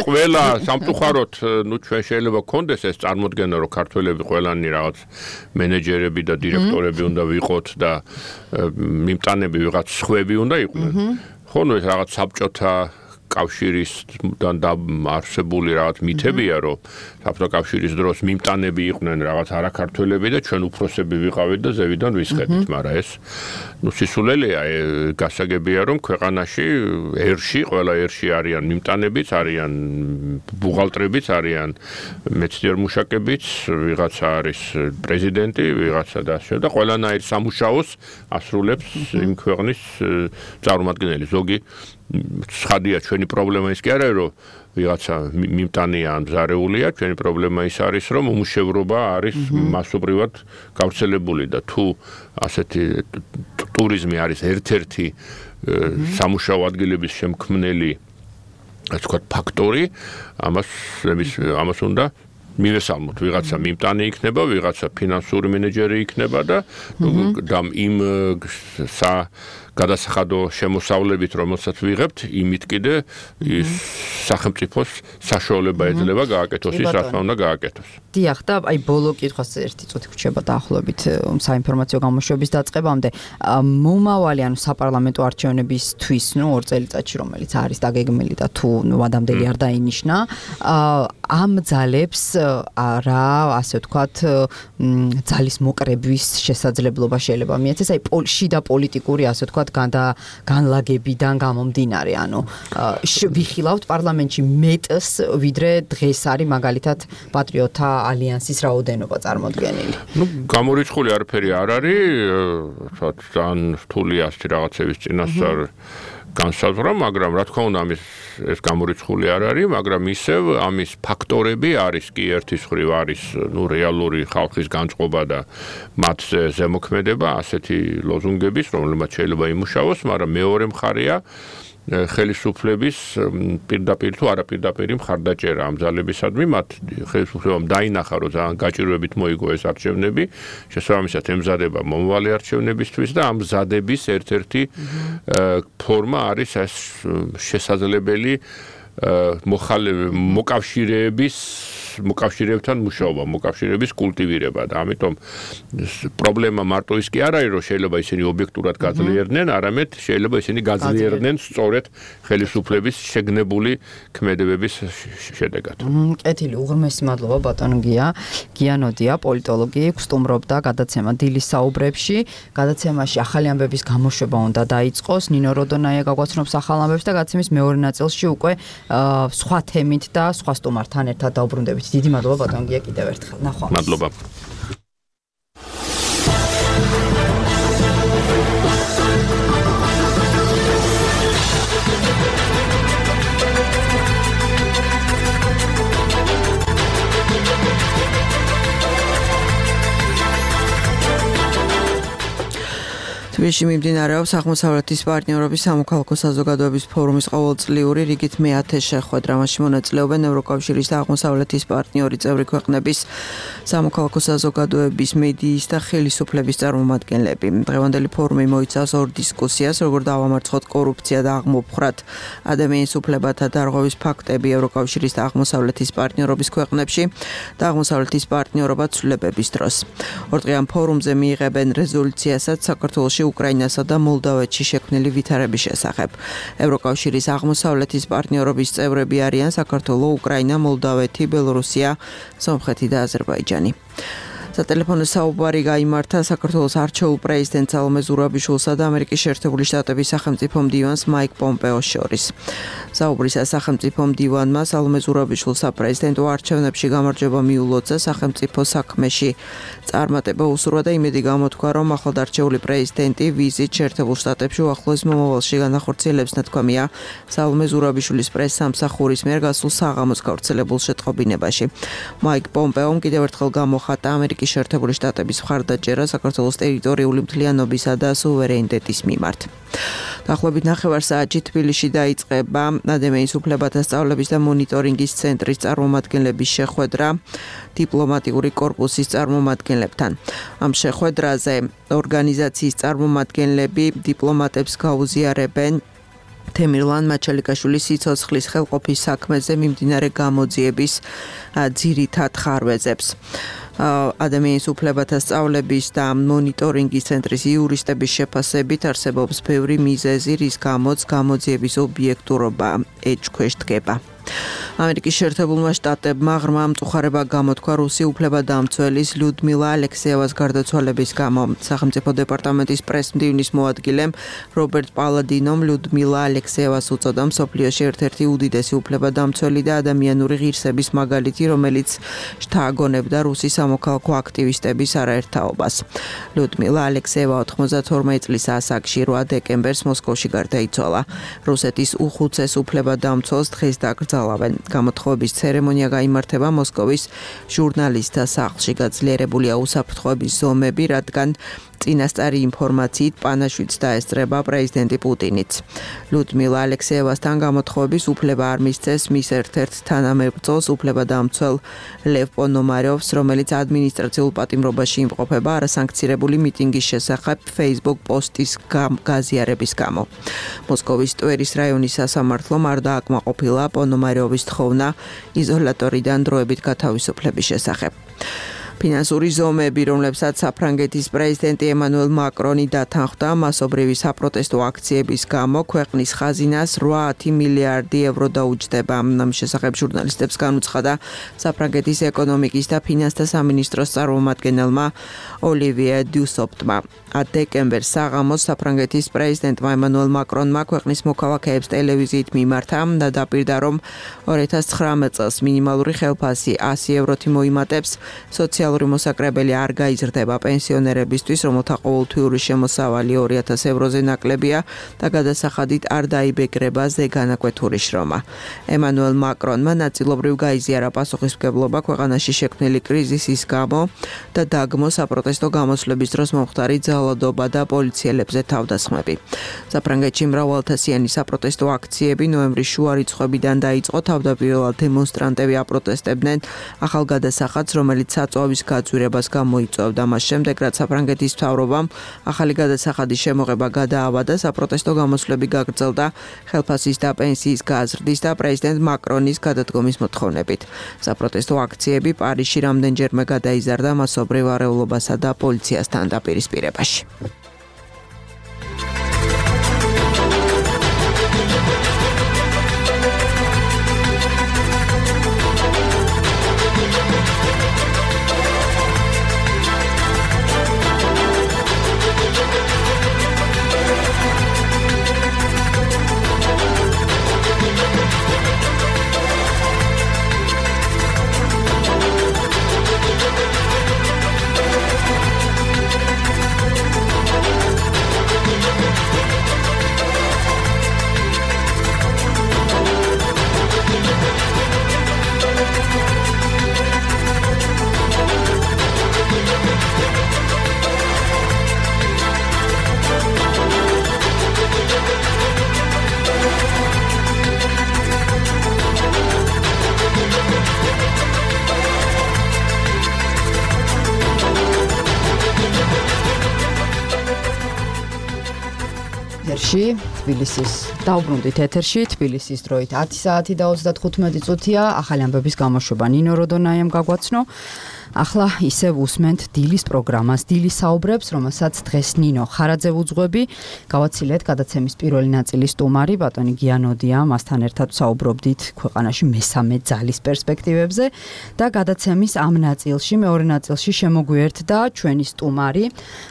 ყველა სამწუხაროდ, ნუ ჩვენ შეიძლება გქონდეს ეს წარმოდგენა, რომ ქართველები ყველანი რაღაც მენეჯერები და დირექტორები უნდა ვიყოთ და მიმტანები ვიღაც სხვები უნდა იყვნენ. ხო, ნუ ეს რაღაც საბჭოთა კავშირისგან დაარსებული რაღაც მითებია, რომ საბჭოთა კავშირის დროს მიმტანები იყვნენ რაღაც არაქართველები და ჩვენ უფროსები ვიყავით და ზევიდან ვისხედით, მაგრამ ეს ნუ სისულელეა, გასაგებია რომ ქვეყანაში ერში, ყველა ერში არიან მიმტანებიც, არიან ბუღალტრებიც, არიან მეცნიერ-მუშაკებიც, ვიღაცა არის პრეზიდენტი, ვიღაცა და ასე და ყველანაირ სამუშაოს ასრულებს იმ ქვეყნის წარმომადგენელი. ზოგი ცხადია ჩვენი პრობლემა ის კი არა რომ ვიღაცა მიმტანია ან მზარეულია, ჩვენი პრობლემა ის არის რომ უმუშევრობა არის მასობრივად გავრცელებული და თუ ასეთი ტურიზმი არის ერთ-ერთი სამუშაო ადგილების შემქმნელი, ასე ვთქვათ, ფაქტორი, ამას ამას უნდა მივესალმოთ, ვიღაცა მიმტანი იქნება, ვიღაცა ფინანსური მენეჯერი იქნება და იმ სა გადასახადო შემოსავლებით, რომელსაც ვიღებთ, იმით კიდე ის სახელმწიფოს საშუალება ეძლევა გააკეთოს ის, რაც უნდა გააკეთოს. დიახ, და აი ბოლო კითხვას ერთი წუთი გრჩება დაახლოებით საინფორმაციო გამოშვების დაწყებამდე. მომავალი, ანუ საპარლამენტო არჩევნებისთვის, ნუ ორ წელიწადში, რომელიც არის დაგეგმილი და თუ ნუ ადამიანები არ დაინიშნა, ამ ძალებს რა, ასე ვთქვათ, ძალის მოკრების შესაძლებლობა შეიძლება მიეცეს, აი შიდა პოლიტიკური, ასე ვთქვათ, თქვა განდა განლაგებიდან გამომდინარე, ანუ ვიხილავთ პარლამენტში მეტს ვიდრე დღეს არის მაგალითად პატრიოტთა ალიანსის რაოდენობა წარმოდგენილი. ნუ გამორიცხული არაფერი არ არის, ძალიან რთულია ასეთი რაღაცების წინასწარ განსაზღვრა, მაგრამ რა თქმა უნდა ამის ეს გამორიცხული არ არის, მაგრამ ისევ ამის ფაქტორები არის კი ერთის მხრივ არის ნუ რეალური ხალხის განწყობა და მათზე ზემოქმედება ასეთი ლოზუნგების, რომელმაც შეიძლება იმუშაოს, მაგრამ მეორე მხარეა ხელისუფლების პირდაპირ თუ არაპირდაპირი მხარდაჭერა ამ ძალებისადმი, მათ ხელისუფლებამ დაინახა, რომ ძალიან გაჭირვებით მოიგო ეს არჩევნები, შესაბამისად ემზადება მომავალი არჩევნებისთვის და ამ მზადების ერთ-ერთი ფორმა არის ეს შესაძლებელი მოკავშირეების მოკავშირეებთან მუშაობა, მოკავშირეების კულტივირება და ამიტომ პრობლემა მარტო ის კი არ არის, რომ შეიძლება ისინი ობიექტურად გაძლიერდნენ, არამედ შეიძლება ისინი გაძლიერდნენ სწორედ ხელისუფლების შეგნებული ქმედებების შედეგად. კეთილი, უღრმესი მადლობა ბატონ გია. გიანოდია, პოლიტოლოგი, სტუმრობდა გადაცემა დილის საუბრებში. გადაცემაში ახალი ამბების გამოშვება უნდა დაიწყოს. ნინო როდონაია გაგვაცნობს ახალ ამბებს და გადაცემის მეორე ნაწილში უკვე სხვა თემით და სხვა სტუმართან ერთად დაუბრუნდებით. დიდი მადლობა ბატონ გია კიდევ ერთხელ. ნახვამდის. მადლობა. თბილისში მიმდინარეობს აღმოსავლეთის პარტნიორობის სამოქალაქო საზოგადოების ფორუმის ყოველწლიური რიგით მეათე შეხვედრა. მასში მონაწილეობენ ევროკავშირის და აღმოსავლეთის პარტნიორი წევრი ქვეყნების სამოქალაქო საზოგადოების, მედიის და ხელისუფლების წარმომადგენლები. დღევანდელი ფორუმი მოიცავს ორ დისკუსიას, როგორ დავამარცხოთ კორუფცია და აღმოფხრათ ადამიანის უფლებათა დარღვევის ფაქტები ევროკავშირის და აღმოსავლეთის პარტნიორობის ქვეყნებში და აღმოსავლეთის პარტნიორობა ცვლილებების დროს. ორდღიან ფორუმზე მიიღებენ რეზოლუციასაც საქართველოში უკრაინასა და მოლდოვეთში შექმნილი ვითარების შესახებ. ევროკავშირის აღმოსავლეთის პარტნიორობის წევრები არიან საქართველო, უკრაინა, მოლდოვეთი, ბელორუსია, სომხეთი და აზერბაიჯანი. სატელეფონო საუბარი გაიმართა საქართველოს არჩეულ პრეზიდენტ სალომე ზურაბიშვილსა და ამერიკის შეერთებული შტატების სახელმწიფო მდივანს მაიკ პომპეოს შორის. საუბრისას სახელმწიფო მდივანმა სალომე ზურაბიშვილს საპრეზიდენტო არჩევნებში გამარჯვება მიულოცა, სახელმწიფო საქმეში წარმატება უსურვა და იმედი გამოთქვა, რომ ახლადარჩეული პრეზიდენტი ვიზით შეერთებულ შტატებში უახლოეს მომავალში განახორციელებს, ნათქვამია სალომე ზურაბიშვილის პრესსამსახურის მიერ გასულ საღამოს გავრცელებულ შეტყობინებაში. მაიკ პომპეომ კიდევ ერთხელ გამოხატა ამერიკის შეერთებული შტატების მხარდაჭერა საქართველოს ტერიტორიული მთლიანობისა და სუვერენიტეტის მიმართ. დაახლოებით ნახევარ საათში თბილისში დაიწყება ადამიანის უფლებათა სწავლების და მონიტორინგის ცენტრის წარმომადგენლების შეხვედრა დიპლომატიური კორპუსის წარმომადგენლებთან. ამ შეხვედრაზე ორგანიზაციის წარმომადგენლები დიპლომატებს გაუზიარებენ თემირლან მაჩალიკაშვილის სიცოცხლის ხელყოფის საქმეზე მიმდინარე გამოძიების ძირითად ხარვეზებს. ადამიანის უფლებათა სწავლების და მონიტორინგის ცენტრის იურისტების შეფასებით არსებობს ბევრი მიზეზი, რის გამოც გამოძიების ობიექტურობა ეჭქვეშ დგება. ამერიკის შეერთებულმა შტატებმა ღრმა მწუხარება გამოთქვა რუსი უფლებადამცველის ლიუდმილა ალექსეევას გარდაცვალების გამო. სახელმწიფო დეპარტამენტის პრესმდივნის მოადგილემ რობერტ პალადინომ ლიუდმილა ალექსეევას უწოდა მსოფლიოში ერთ-ერთი უდიდესი უფლებადამცველი და ადამიანური ღირსების მაგალითი, რომელიც შთააგონებდა რუსი სამოქალაქო აქტივისტების არაერთაობას. ლიუდმილა ალექსეევა ოთხმოცდათორმეტ წლის ასაკში რვა დეკემბერს მოსკოვში გარდაიცვალა. რუსეთის უხუცეს უფლებადამცველს დღეს დაკრძალავენ. გამოთხოვების ცერემონია გაიმართება მოსკოვის ჟურნალისტთა სახლში. გაძლიერებულია უსაფრთხოების ზომები, რადგან წინასწარი ინფორმაციით პანაშვიდს დაესწრება პრეზიდენტი პუტინიც. ლიუდმილა ალექსეევასთან გამოთხოვების უფლება არ მისცეს მის ერთ-ერთ თანამებრძოლს, უფლებადამცველ ლევ პონომარიოვს, რომელიც ადმინისტრაციულ პატიმრობაში იმყოფება არასანქცირებული მიტინგის შესახებ Facebook პოსტის გაზიარების გამო. მოსკოვის ტვერის რაიონის სასამართლომ არ დააკმაყოფილა პონომარიოვის თხოვნა იზოლატორიდან დროებით გათავისუფლების შესახებ. ფინანსური ზომები, რომლებსაც საფრანგეთის პრეზიდენტი ემანუელ მაკრონი დათანხმდა მასობრივი საპროტესტო აქციების გამო, ქვეყნის ხაზინას რვაათი მილიარდი ევრო დაუჯდება. ამის შესახებ ჟურნალისტებს განუცხადა საფრანგეთის ეკონომიკის და ფინანსთა სამინისტროს წარმომადგენელმა ოლივიე დუსოპტმა. დეკემბერს საღამოს საფრანგეთის პრეზიდენტმა ემანუელ მაკრონმა ქვეყნის მოქალაქეებს ტელევიზიით მიმართა და დაპირდა, რომ ორი ათას ცხრამეტ წელს მინიმალური ხელფასი ასი ევროთი მოიმატებს, სოციალური მოსაკრებელი არ გაიზრდება პენსიონერებისთვის, რომელთა ყოველთვიური შემოსავალი ორი ათას ევროზე ნაკლებია და გადასახადით არ დაიბეგრება ზეგანაკვეთური შრომა. ემანუელ მაკრონმა ნაწილობრივ გაიზიარა პასუხისმგებლობა ქვეყანაში შექმნილი კრიზისის გამო და დაგმო საპროტესტო გამოსვლების დროს მომხდარი ძალადობა და პოლიციელებზე თავდასხმები. საფრანგეთში მრავალათასიანი საპროტესტო აქციები ნოემბრის შუა რიცხვებიდან დაიწყო. თავდაპირველად დემონსტრანტები აპროტესტებდნენ ახალ გადასახადს, რომელიც საწვავის გაძვირებას გამოიწვევდა. მას შემდეგ, რაც საფრანგეთის მთავრობამ ახალი გადასახადის შემოღება გადაავადა, საპროტესტო გამოსვლები გაგრძელდა ხელფასის და პენსიის გაზრდის და პრეზიდენტ მაკრონის გადადგომის მოთხოვნებით. საპროტესტო აქციები პარიზში რამდენჯერმე გადაიზარდა მასობრივ არეულობასა და პოლიციასთან დაპირისპირებაში. თბილისის დაუბრუნდით ეთერში, თბილისის დროით ათი საათი და ოცდათხუთმეტი წუთია. ახალი ამბების გამოშვება ნინო როდონაიამ გაგვაცნო. ახლა ისევ უსმენთ დილის პროგრამას, დილის საუბრებს, რომელსაც დღეს ნინო ხარაძე უძღვები. გავაცილეთ გადაცემის პირველი ნაწილის სტუმარი ბატონი გიანოდია, მასთან ერთად საუბრობდით ქვეყანაში მესამე ძალის პერსპექტივებზე და გადაცემის ამ ნაწილში, მეორე ნაწილში შემოგვიერთდა ჩვენი სტუმარი,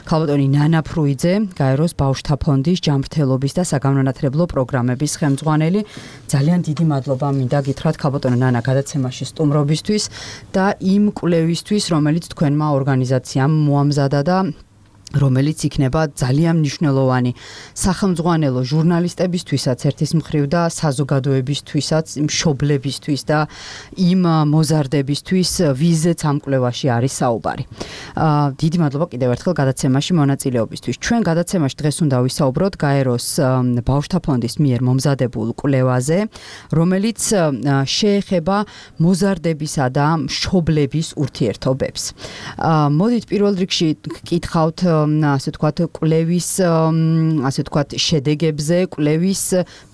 ქალბატონი ნანა ფრუიძე, გაეროს ბავშვთა ფონდის ჯანმრთელობის და საგანმანათლებლო პროგრამების ხელმძღვანელი. ძალიან დიდი მადლობა მინდა გითხრათ ქალბატონო ნანა გადაცემაში სტუმრობისთვის და იმ კვლევისთვის, რომელიც თქვენმა ორგანიზაციამ მოამზადა და რომელიც იქნება ძალიან მნიშვნელოვანი სახელმძღვანელო ჟურნალისტებისთვისაც ერთის მხრივ და საზოგადოებისთვისაც, მშობლებისთვის და იმ მოზარდებისთვის, ვიზეც ამ კვლევაში არის საუბარი. დიდი მადლობა კიდევ ერთხელ გადაცემაში მონაწილეობისთვის. ჩვენ გადაცემაში დღეს უნდა ვისაუბროთ გაეროს ბავშვთა ფონდის მიერ მომზადებულ კვლევაზე, რომელიც შეეხება მოზარდებისა და მშობლების ურთიერთობებს. მოდით პირველ რიგში გკითხავთ ასე ვთქვათ, კვლევის, ასე ვთქვათ, შედეგებზე, კვლევის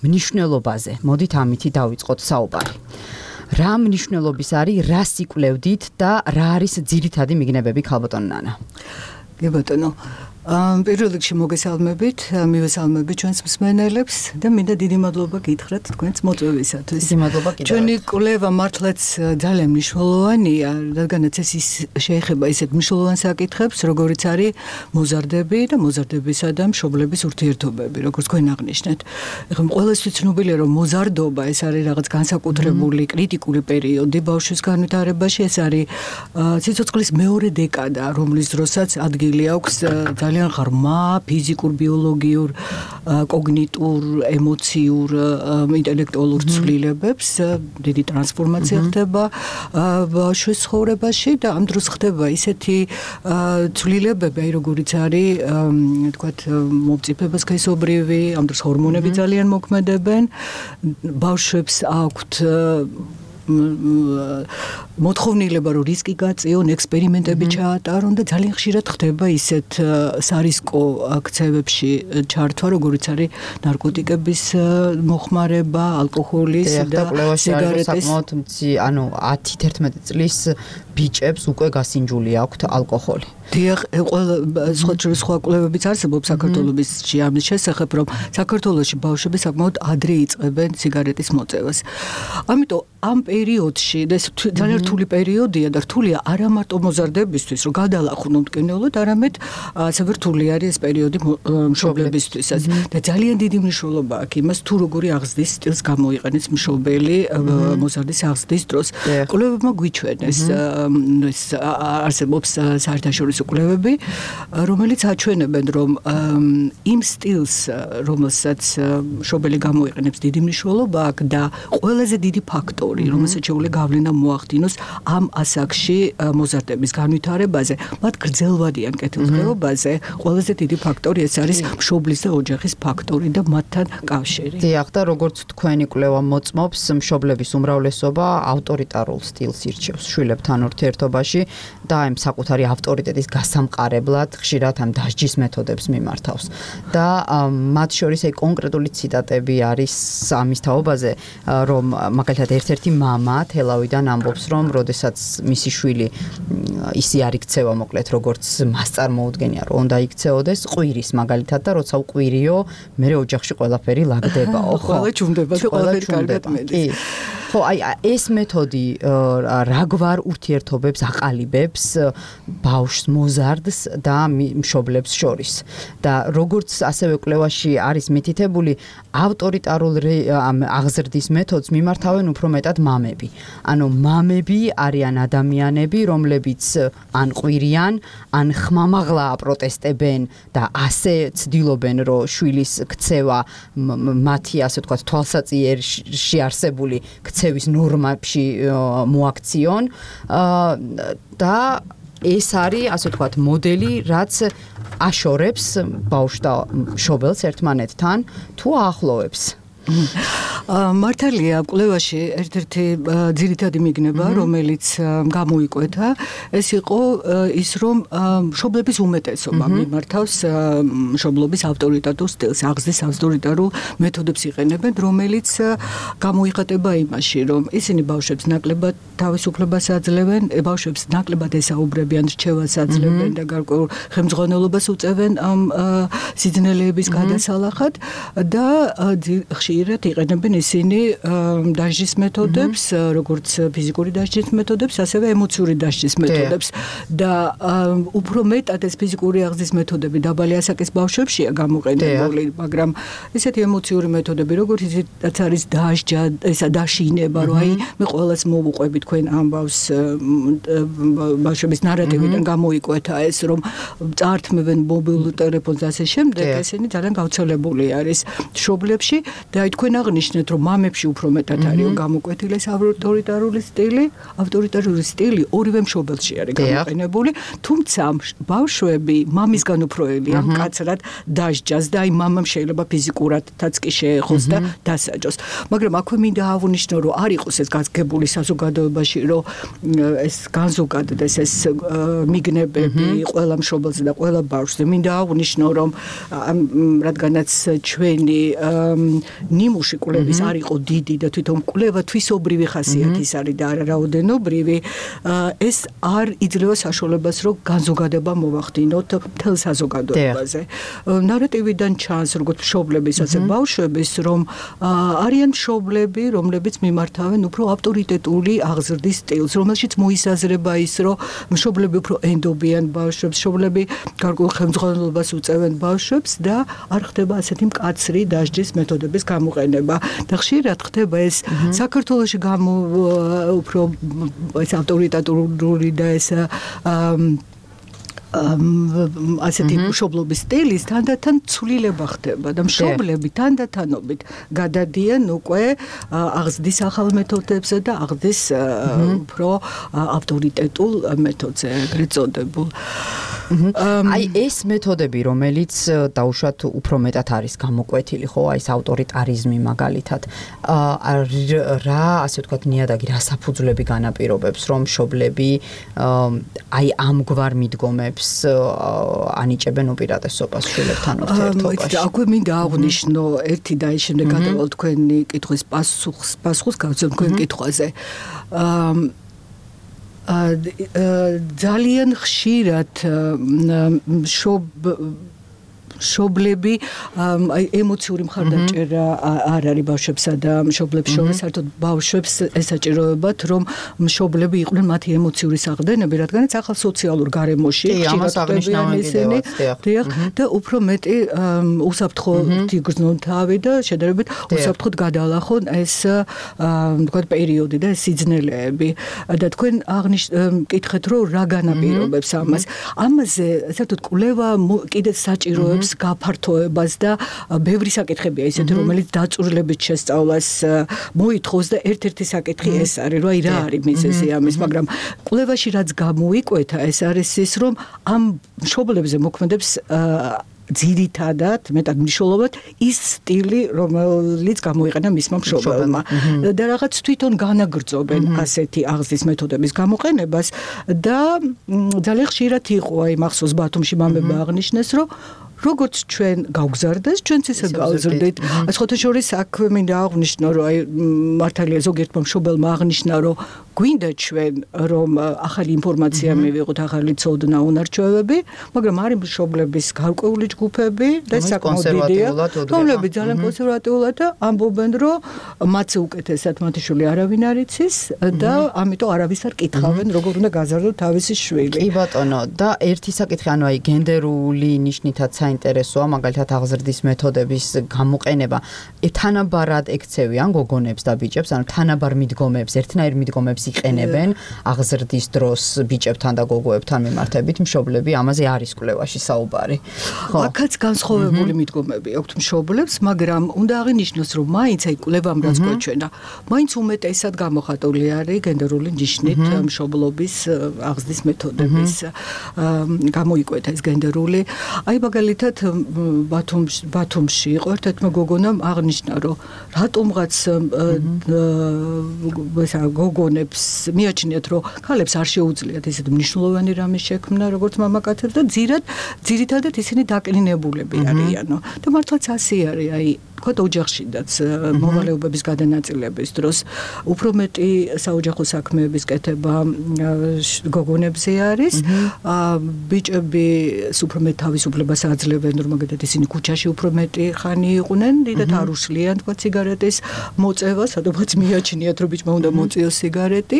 მნიშვნელობაზე. მოდით ამითი დავიწყოთ საუბარი. რა მნიშვნელობის არის, რას იკვლევდით და რა არის ძირითადი მიგნებები ქალბატონ ნანა? კი ბატონო, პირველ რიგში მოგესალმებით, მივესალმებით ჩვენს მსმენელებს და მინდა დიდი მადლობა გითხრათ თქვენს მოწვევისათვის. დიდი მადლობა კიდევ. ჩვენი კვლევა მართლაც ძალიან მნიშვნელოვანია, რადგანაც ეს შეეხება ისეთ მნიშვნელოვან საკითხებს, როგორიც არის მოზარდები და მოზარდებისა და მშობლების ურთიერთობები, როგორც თქვენ აღნიშნეთ. ეხლა ყველასთვის ცნობილია, რომ მოზარდობა ეს არის რაღაც განსაკუთრებული კრიტიკული პერიოდი ბავშვის განვითარებაში, ეს არის სიცოცხლის მეორე დეკადა, რომლის დროსაც ადგილი აქვს ძალიან ღრმა ფიზიკურ, ბიოლოგიურ, კოგნიტურ, ემოციურ, ინტელექტუალურ ცვლილებებს, დიდი ტრანსფორმაცია ხდება ბავშვის ცხოვრებაში და ამ დროს ხდება ისეთი ცვლილებები, როგორიც არის, თქვათ, მომწიფება სქესობრივი, ამ დროს ჰორმონები ძალიან მოქმედებენ, ბავშვებს აქვთ მოთხოვნილება რომ რისკი გაწიონ, ექსპერიმენტები ჩაატარონ და ძალიან ხშირად ხდება ისეთ სარისკო აქცევებში ჩართვა, როგორც არის ნარკოტიკების მოხმარება, ალკოჰოლის და სიგარეტის. ანუ ათი თერთმეტი წლის ბიჭებს უკვე გასინჯული აქვთ ალკოჰოლი. დიახ, ყველა სხვა სხვა კვლევებიც არსებობს საქართველოს ამის შესახებ, რომ საქართველოში ბავშვები საკმაოდ ადრე იწყებენ სიგარეტის მოწევას. ამიტომ ამ პერიოდში, ეს ძალიან რთული პერიოდია და რთულია არა მარტო მოზარდებისთვის, რომ გადალახვნონ მტკივნეულოდ, არამედ ასევე რთული არის ეს პერიოდი მშობლებისთვისაც. და ძალიან დიდი მნიშვნელობა აქვს იმას, თუ როგორი აღზრდის სტილს გამოიყენებს მშობელი მოზარდის აღზრდის დროს. კვლევებმა გვიჩვენეს, ეს არსებობს საერთაშორისო კვლევები, რომელიც აჩვენებენ, რომ იმ სტილს, რომელსაც მშობელი გამოიყენებს, დიდი მნიშვნელობა აქვს და ყველაზე დიდი ფაქტორი, რომელსაც შეუძლია გავლენა მოახდინოს ამ ასაკში მოზარდების განვითარებაზე, მათ გრძელვადიან კეთილდღეობაზე, ყველაზე დიდი ფაქტორი ეს არის მშობლის და ოჯახის ფაქტორი და მათთან კავშირი. დიახ, და როგორც თქვენი კვლევა მოწმობს, მშობლების უმრავლესობა ავტორიტარულ სტილს ირჩევს შვილებთან ურთიერთობაში და ამ საკუთარი ავტორიტეტის გასამყარებლად ხშირად ამ დასჯის მეთოდებს მიმართავს. და მათ შორის აი კონკრეტული ციტატები არის ამის თაობაზე, რომ მაგალითად ერთ-ერთი მამა თელავიდან ამბობს, რომ როდესაც მისი შვილი ისი არ იქცევა მოკლედ როგორც მასწარმოუდგენია, რომ უნდა იქცეოდეს ყვირის მაგალითად და როცა უყვირიო, მე ოჯახში ყველაფერი ლაგდებაო, ხო? ყველა ჩუმდება, ყველაფერი კარგად მედის. ხო, აი ეს მეთოდი რაგვარ ურთიერთობებს აყალიბებს ბავშვს მოზარდს და მშობლებს შორის. და როგორც ასევე კვლევაში არის მითითებული, ავტორიტარული აღზრდის მეთოდს მიმართავენ უფრო მეტად მამები. ანუ მამები არიან ადამიანები, რომლებიც ან ყვირიან, ან ხმამაღლა აპროტესტებენ და ასე ცდილობენ, რომ შვილის ქცევა მათი, ასე ვთქვათ, თვალსაწიერში არსებული ქცევის ნორმებში მოაქციონ და ეს არის, ასე ვთქვათ, მოდელი, რაც აშორებს ბავშვს და მშობელს ერთმანეთთან თუ აახლოვებს. მართალია, კვლევაში ერთ-ერთი ძირითადი მიგნება, რომელიც გამოიკვეთა, ეს იყო ის, რომ მშობლების უმეტესობა მიმართავს მშობლობის ავტორიტარულ სტილს, აღზრდის ავტორიტარულ მეთოდებს იყენებენ, რომელიც გამოიხატება იმაში, რომ ისინი ბავშვებს ნაკლებად თავისუფლებას აძლევენ, ბავშვებს ნაკლებად ესაუბრებიან, რჩევას აძლევენ და გარკვეულ ხელმძღვანელობას უწევენ ამ სიძნელეების გადასალახად და ხშირად იყენებენ ისინი დასჯის მეთოდებს, როგორც ფიზიკური დასჯის მეთოდებს, ასევე ემოციური დასჯის მეთოდებს და უფრო მეტად ეს ფიზიკური აღზრდის მეთოდები დაბალი ასაკის ბავშვებშია გამოყენებული, მაგრამ ესეთი ემოციური მეთოდები, როგორც ისიც არის დასჯა, ესა დაშინება, რომ აი მე ყველას მოვუყვები თქვენ ამბავს ბავშვების ნარატივიდან გამოიკვეთა ეს, რომ წართმევენ მობილურ ტელეფონს და ასე შემდეგ, ესენი ძალიან გავრცელებული არის მშობლებში და აი თქვენ აღნიშნეთ, რომ მამებში უფრო მეტად არის გამოკვეთილი ეს ავტორიტარული სტილი, ავტორიტარული სტილი ორივე მშობელში არის გამოყენებული, თუმცა ბავშვები მამისგან უფროებიან მკაცრად დასჯას და აი მამამ შეიძლება ფიზიკურადაც კი შეეხოს და დასაჯოს. მაგრამ აქვე მინდა აღვნიშნო, რომ არ იყოს ეს გასაგებული საზოგადოებაში, რომ ეს განზოგადდეს ეს მიგნებები ყველა მშობელზე და ყველა ბავშვზე. მინდა აღვნიშნო, რომ რადგანაც ჩვენი ნიმუში კვლევის არ იყო დიდი და თვითონ კვლევა თვისობრივი ხასიათის არის და არა რაოდენობრივი, ეს არ იძლევა საშუალებას, რომ განზოგადება მოვახდინოთ მთელ საზოგადოებაზე. ნარატივიდან ჩანს, როგორც მშობლების, ასე ბავშვების, რომ არიან მშობლები, რომლებიც მიმართავენ უფრო ავტორიტეტული აღზრდის სტილს, რომელშიც მოისაზრება ის, რომ მშობლები უფრო ენდობიან ბავშვებს, მშობლები გარკვეულ ხელმძღვანელობას უწევენ ბავშვებს და არ ხდება ასეთი მკაცრი დასჯის მეთოდების გამოყენება. და ხშირად ხდება ეს საქართველოში გამო უფრო ეს ავტორიტეტული და ეს ასეთი მშობლობის სტილის თანდათან ცვლილება ხდება და მშობლები თანდათანობით გადადიან უკვე აღზრდის ახალ მეთოდებზე და აღზრდის უფრო ავტორიტეტულ მეთოდზე, ეგრეთ წოდებულ. აი ეს მეთოდები, რომელიც დაუშვათ უფრო მეტად არის გამოკვეთილი, ხო, აი ეს ავტორიტარიზმი მაგალითად, რა, ასე ვთქვათ, ნიადაგი რა საფუძვლები განაპირობებს, რომ მშობლები აი ამგვარ მიდგომებს ანიჭებენ უპირატესობას შვილებთან ურთიერთობაში. აქვე მინდა აღვნიშნო ერთი და ის შემდეგ გადავალ თქვენი კითხვის პასუხს, პასუხს გავცემ თქვენ კითხვაზე. ძალიან ხშირად შობ შობლები აი ემოციური მხარდაჭერა არ არის ბავშვებსა და მშობლებს შორის, საერთოდ ბავშვებს ესაჭიროებათ, რომ მშობლები იყვნენ მათი ემოციური საყრდენები, რადგანაც ახალ სოციალურ გარემოში ხშირად ისინი და უფრო მეტი უსაფრთხოდ იგრძნონ თავი და შედარებით უსაფრთხოდ გადაალახონ ეს თქვა პერიოდი და ეს სიძნელეები და თქვენ აღნიშნეთ რომ რა განაპირობებს ამას. ამაზე საერთოდ კვლევა კიდეც საჭიროებს გაფართოებას და ბევრი საკითხებია ისეთი, რომელიც დაწურლებით შესწავლას მოითხოვს და ერთ-ერთი საკითხი ეს არის, რომ აი რა არის მიზეზი ამის, მაგრამ კვლევაში რაც გამოიკვეთა, ეს არის ის, რომ ამ მშობლებზე მოქმედებს ძირითადად მეტად მნიშვნელოვნად ის სტილი, რომელიც გამოიყენა მისმა მშობელმა და რაღაც თვითონ განაგრძობენ ასეთი აღზრდის მეთოდების გამოყენებას და ძალიან ხშირად იყო აი მახსოვს ბათუმში მამება აღნიშნეს, რომ როგორც ჩვენ გავგზარდეს, ჩვენც ისე გავზრდით. სხვათა შორის აქვე მინდა აღვნიშნო, რომ აი მართალია ზოგიერთმა მშობელმა აღნიშნა, რომ გვინდა ჩვენ რომ ახალი ინფორმაცია მივიღოთ, ახალი ცოდნა, უნარჩვევები, მაგრამ არის მშობლების გარკვეული ჯგუფები და საკმაოდ დიდია, რომლებიც ძალიან კონსერვატიულად ამბობენ, რომ მათზე უკეთესად მათი შვილი არავინ არ იცის და ამიტომ არავის არ კითხავენ, როგორ უნდა გაზარდოს თავისი შვილი. კი ბატონო, და ერთი საკითხი, ანუ აი გენდერული ნიშნითაც საინტერესოა, მაგალითად აღზრდის მეთოდების გამოყენება. თანაბარად ექცევიან გოგონებს და ბიჭებს, ანუ თანაბარ მიდგომებს, ერთნაირ მიდგომებს იყენებენ აღზრდის დროს ბიჭებთან და გოგოებთან მიმართებით, მშობლები ამაზე არის კვლევაში საუბარი. ხო, აქაც განსხვავებული მიდგომები აქვთ მშობლებს, მაგრამ უნდა აღინიშნოს, რომ მაინც აი კვლევამ რაც გვეჩვენა, მაინც უმეტესად გამოხატული არის გენდერული ნიშნით მშობლობის აღზრდის მეთოდების გამოიკვეთა ეს გენდერული. აი მაგალითად ბათუმში ბათუმში იყო ერთ-ერთმა გოგონამ აღნიშნა, რომ რატომღაც ესა გოგონებს მიაჩნიათ, რომ ქალებს არ შეუძლიათ ესეთ მნიშვნელოვანი რამის შექმნა, როგორც მამაკაცებს და ძირად ძირითადად ისინი დაკლინებულები არიანო. და მართლაც ასე არის, აი თქვა ოჯახშიდაც მოვალეობების გადანაწილების დროს უფრო მეტი საოჯახო საქმეების კეთება გოგონებზე არის. ბიჭები უფრო მეტ თავისუფლებას აძლევენ, რომ მაგალითად ისინი ქუჩაში უფრო მეტი ხანი იყვნენ, დიდად არ უშლიან თქვა სიგარეტის მოწევა, სადღაც მიაჩნიათ, რომ ბიჭმა უნდა მოწიოს სიგარეტი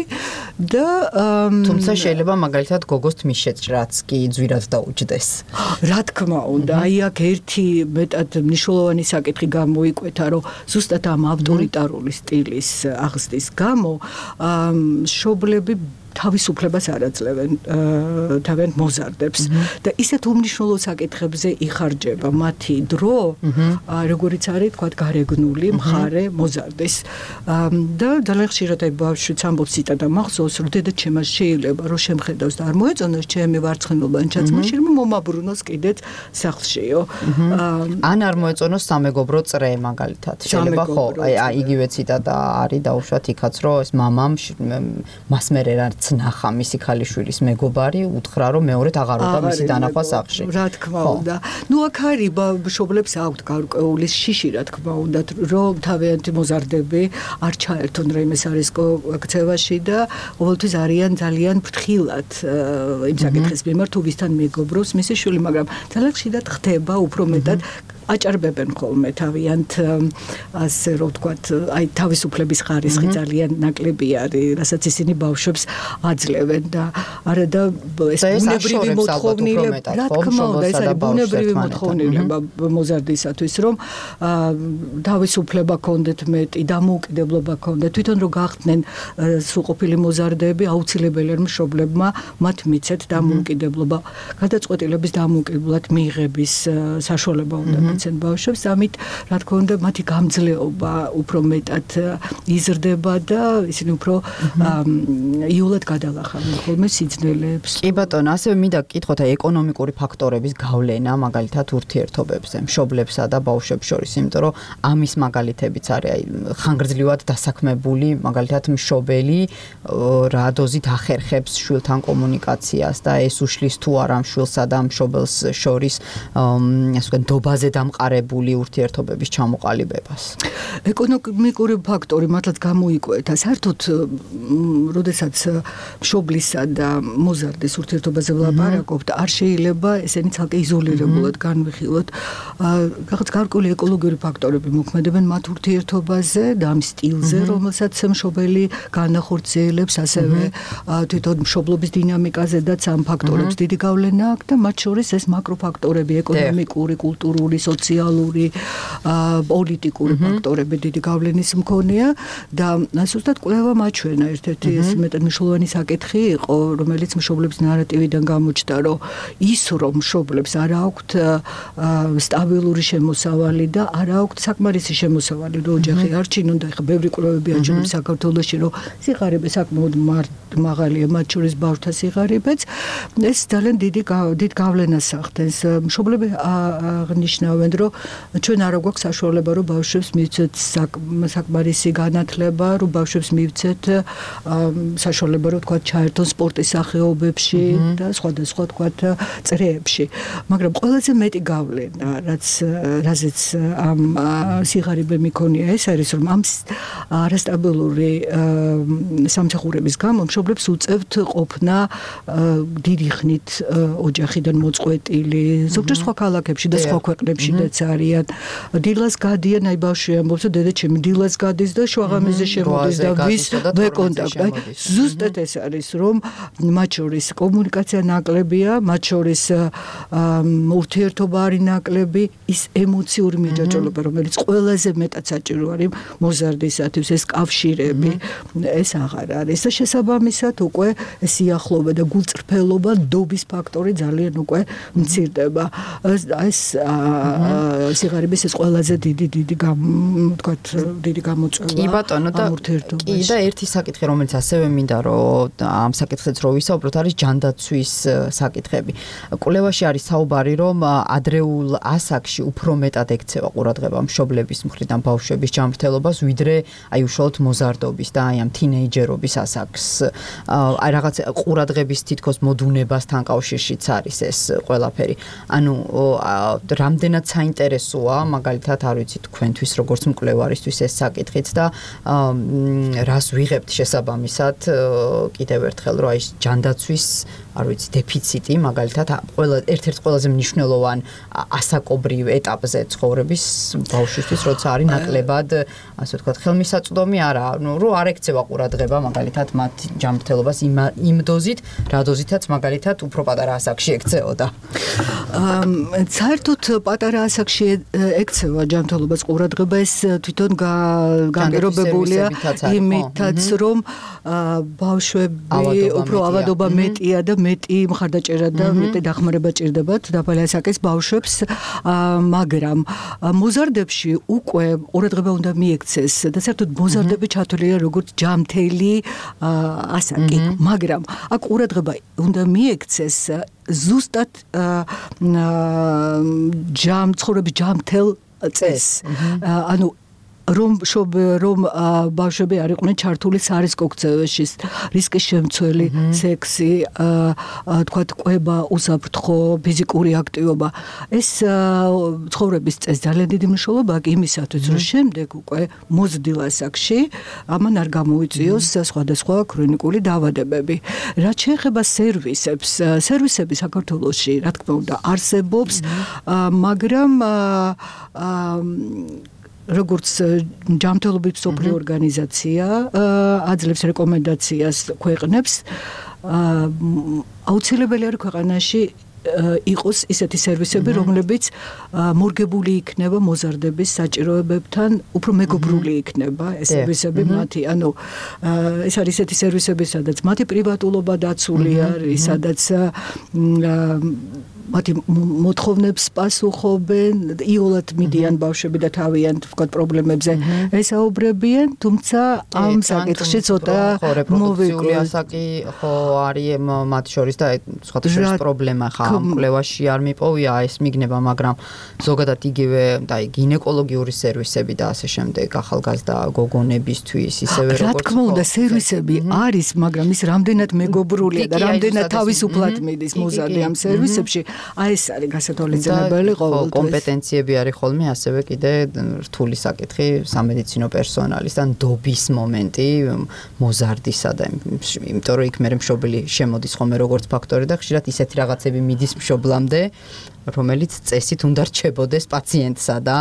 და თუმცა შეიძლება მაგალითად გოგოს თმისშეჭრაც კი ძვირად დაუჯდეს. რა თქმა უნდა, აი აქ ერთი მეტად მნიშვნელოვანი საკითხი მოიკვეთა, რომ ზუსტად ამ ავტორიტარული სტილის აღზრდის გამო მშობლები თავისუფლებას არ აძლევენ თავენ მოზარდებს და ისეთ უმნიშვნელო საკითხებზე იხარჯება მათი დრო, როგორიც არის თქვა გარეგნული მხარე მოზარდის და ძალიან ხშირად აი ბავშვიც ამბობს ციტატა მახსოვს, რომ დედაჩემას შეიძლება რომ შემხედავს და არ მოეწონოს ჩემი ვარცხნილობა ან ჩაცმაში, რომ მომაბრუნოს კიდეც სახლშიო. ან არ მოეწონოს სამეგობრო წრე მაგალითად. შეიძლება ხო, აი იგივე ციტატა არის დაუშვათ იქაც, რომ ეს მამამ მასმერე რა ნახა მისი ქალიშვილის მეგობარი, უთხრა რომ მეორედ აღარ უნდა მისი დანახვა სახლში. რა თქმა უნდა. ნუ აქ არის მშობლებს აქვთ გარკვეული შიში, რა თქმა უნდა, რომ თავიანთი მოზარდები არ ჩაერთონ რაიმე სარისკო ქცევაში და ყოველთვის არიან ძალიან ფრთხილად იმ საკითხის მიმართ, თუ ვისთან მეგობრობს მისი შვილი, მაგრამ ძალიან ხშირად ხდება უფრო მეტად აჭარბებენ ხოლმე თავიანთ ასე რომ ვთქვათ, აი თავისუფლების ხარისხი ძალიან ნაკლები არის, რასაც ისინი ბავშვებს აძლევენ და არა და ეს ბუნებრივი მოთხოვნილება, რა თქმა უნდა, ეს არის ბუნებრივი მოთხოვნილება მოზარდისათვის, რომ თავისუფლება კონდეთ მეტი, დამოუკიდებლობა კონდეთ, თვითონ რომ გახდნენ სრულყოფილი მოზარდები, აუცილებელია მშობლებმა მათ მიცეთ დამოუკიდებლობა, გადაწყვეტილების დამოუკიდებლად მიიღების საშუალება უნდა განიცენ ბავშვებს, ამით რა თქმა უნდა მათი გამძლეობა უფრო მეტად იზრდება და ისინი უფრო იულად გადალახავენ ხოლმე სიძნელეებს. კი ბატონო, ასევე მინდა გკითხოთ ეკონომიკური ფაქტორების გავლენა მაგალითად ურთიერთობებზე, მშობლებსა და ბავშვებს შორის, იმიტომ რომ ამის მაგალითებიც არის, აი ხანგრძლივად დასაქმებული მაგალითად მშობელი რა დოზით ახერხებს შვილთან კომუნიკაციას და ეს უშლის თუ არა მშვილსა და მშობელს შორის ასე ვთქვათ დობაზე დამყარებული ურთიერთობების ჩამოყალიბებას. ეკონომიკური ფაქტორი მართლაც გამოიკვეთა. საერთოდ როდესაც მშობლისა და მოზარდის ურთიერთობაზე ვლაპარაკობთ, არ შეიძლება ესენი ცალკე იზოლირებულად განვიხილოთ. რაღაც გარკვეული ეკოლოგიური ფაქტორები მოქმედებენ მათ ურთიერთობაზე და ამ სტილზე, რომელსაც მშობელი განახორციელებს, ასევე თვითონ მშობლობის დინამიკაზედაც ამ ფაქტორებს დიდი გავლენა აქვს და მათ შორის ეს მაკროფაქტორები, ეკონომიკური, კულტურული, სოციალური, პოლიტიკური ფაქტორები დიდი გავლენის მქონეა და ზუსტად კვლევა მაჩვენა ერთ-ერთი ეს მეტად მნიშვნელოვანი საკითხი იყო, რომელიც მშობლების ნარატივიდან გამოჩნდა, რომ ის რომ მშობლებს არ აქვთ სტაბილური შემოსავალი და არ აქვთ საკმარისი შემოსავალი, რომ ოჯახი არჩინონ და ეხა ბევრი კვლევები აჩვენებს საქართველოში, რომ სიღარიბე საკმაოდ მაღალია, მათ შორის ბავშვთა სიღარიბეც, ეს ძალიან დიდი დიდ გავლენას ახდენს. მშობლები აღნიშნავენ, რომ ჩვენ არ გვაქვს საშუალება, რომ ბავშვებს მივცეთ საკმარისი განათლება, რომ ბავშვებს მივცეთ საშუალება, რომ თქვა ჩაერთონ სპორტის სახეობებში და სხვადასხვა თქვა წრეებში. მაგრამ ყველაზე მეტი გავლენა, რაც რაზეც ამ სიღარიბე მიქონია, ეს არის, რომ ამ არასტაბილური სამსახურების გამო მშობლებს უწევთ ყოფნა დიდი ხნით ოჯახიდან მოწყვეტილი, ზოგჯერ სხვა ქალაქებში და სხვა ქვეყნებშიც არიან. დილას გადიან, აი ბავშვი ამბობს, რომ დედა ჩემი დილას გადის და შუაღამეზე შემოდის და ვის ვეკონტაქტ. აი ზუსტად ეს არის, რომ მათ შორის კომუნიკაცია ნაკლებია, მათ შორის ურთიერთობა არის ნაკლები, ის ემოციური მიჯაჭვობა, რომელიც ყველაზე მეტად საჭირო არის მოზარდისათვის, ეს კავშირები, ეს აღარ არის და შესაბამისად უკვე სიახლოვე და გულწრფელობა, დობის ფაქტორი ძალიან უკვე მცირდება. ეს სიღარიბის ეს ყველაზე დიდი დიდი თქვათ დიდი გამოწვევა. კი ბატონო და კი და ერთი საკითხი, რომელიც ასევე მინდა რომ ამ საკითხიც რო ვისაუბროთ, არის ჯანდაცვის საკითხები. კვლევაში არის საუბარი, რომ ადრეულ ასაკში უფრო მეტად ექცევა ყურადღება მშობლების მხრიდან ბავშვების ჯანმრთელობას, ვიდრე აი უშუალოდ მოზარდობის და აი ამ თინეიჯერობის ასაკს. აი რაღაც ყურადღების თითქოს მოდუნებასთან კავშირშიც არის ეს ყველაფერი. ანუ რამდენად საინტერესოა, მაგალითად, არ ვიცი თქვენთვის როგორც მკვლევარისთვის ეს საკითხიც და რას ვიღებთ შესაბამისად კიდევ ერთხელ, რომ აი ჯანდაცვის არ ვიცი დეფიციტი მაგალითად ყველა ერთ-ერთ ყველაზე მნიშვნელოვან ასაკობრივ ეტაპზე ცხოვრების ბავშვისთვის, როცა არის ნაკლებად, ასე ვთქვათ, ხელმისაწვდომი არა, ну, რომ არ ექცევა ყურადღება მაგალითად მათ ჯანმრთელობას იმ დოზით, რა დოზითაც მაგალითად უფრო პატარა ასაკში ექცეოდა. საერთოდ პატარა ასაკში ექცევა ჯანმრთელობას ყურადღება, ეს თვითონ განპირობებულია იმითაც, რომ ბავშვები უფრო ავადობა მეტია და მეტი მხარდაჭერა და მეტი დახმარება ჭირდებათ დაბალი ასაკის ბავშვებს, მაგრამ მოზარდებში უკვე ყურადღება უნდა მიექცეს და საერთოდ მოზარდები ჩათვლილია როგორც ჯანმრთელი ასაკი, მაგრამ აქ ყურადღება უნდა მიექცეს ზუსტად ჯამ ცხოვრების ჯანმრთელ წესს. ანუ რომ რომ ბავშვები არ იყვნენ ჩართული სარისკო ქცევაში, რისკის შემცველი, სექსი, თქვათ, ყვება, უსაფრთხო, ფიზიკური აქტივობა. ეს ცხოვრების წესს ძალიან დიდი მნიშვნელობა აქვს იმისათვის, რომ შემდეგ უკვე მოზრდილ ასაკში ამან არ გამოიწვიოს სხვადასხვა ქრონიკული დაავადებები. რაც შეეხება სერვისებს, სერვისები საქართველოში, რა თქმა უნდა, არსებობს, მაგრამ როგორც ჯანმრთელობის მსოფლიო ორგანიზაცია აძლევს რეკომენდაციას ქვეყნებს, აუცილებელი არის ქვეყანაში იყოს ისეთი სერვისები, რომლებიც მორგებული იქნება მოზარდების საჭიროებებთან, უფრო მეგობრული იქნება ეს სერვისები მათი, ანუ ეს არის ისეთი სერვისები, სადაც მათი პრივატულობა დაცული არის, სადაც მათი მოთხოვნებს პასუხობენ, იოლად მიდიან ბავშვები და თავიანთ ვთქვათ პრობლემებზე ესაუბრებიან, თუმცა ამ საკითხში ცოტა მოვიკვირდი ასაკი ხო არის მათ შორის და სხვათა შორის პრობლემა ხა ამ კვლევაში არ მიპოვია ეს მიგნება, მაგრამ ზოგადად იგივე და გინეკოლოგიური სერვისები და ასე შემდეგ ახალგაზრდა გოგონებისთვის ისევე როგორც რა თქმა უნდა სერვისები არის, მაგრამ ის რამდენად მეგობრულია და რამდენად თავისუფლად მიდის მოზარდი ამ სერვისებში, აი ეს არის გასათვალისწინებელი ყოველთვის. კომპეტენციები არის ხოლმე ასევე კიდე რთული საკითხი სამედიცინო პერსონალის და ნდობის მომენტი მოზარდისა და იმიტომ რომ იქ მე მშობელი შემოდის ხოლმე როგორც ფაქტორი და ხშირად ისეთი რაღაცები მიდის მშობლამდე რომელიც წესით უნდა რჩებოდეს პაციენტსა და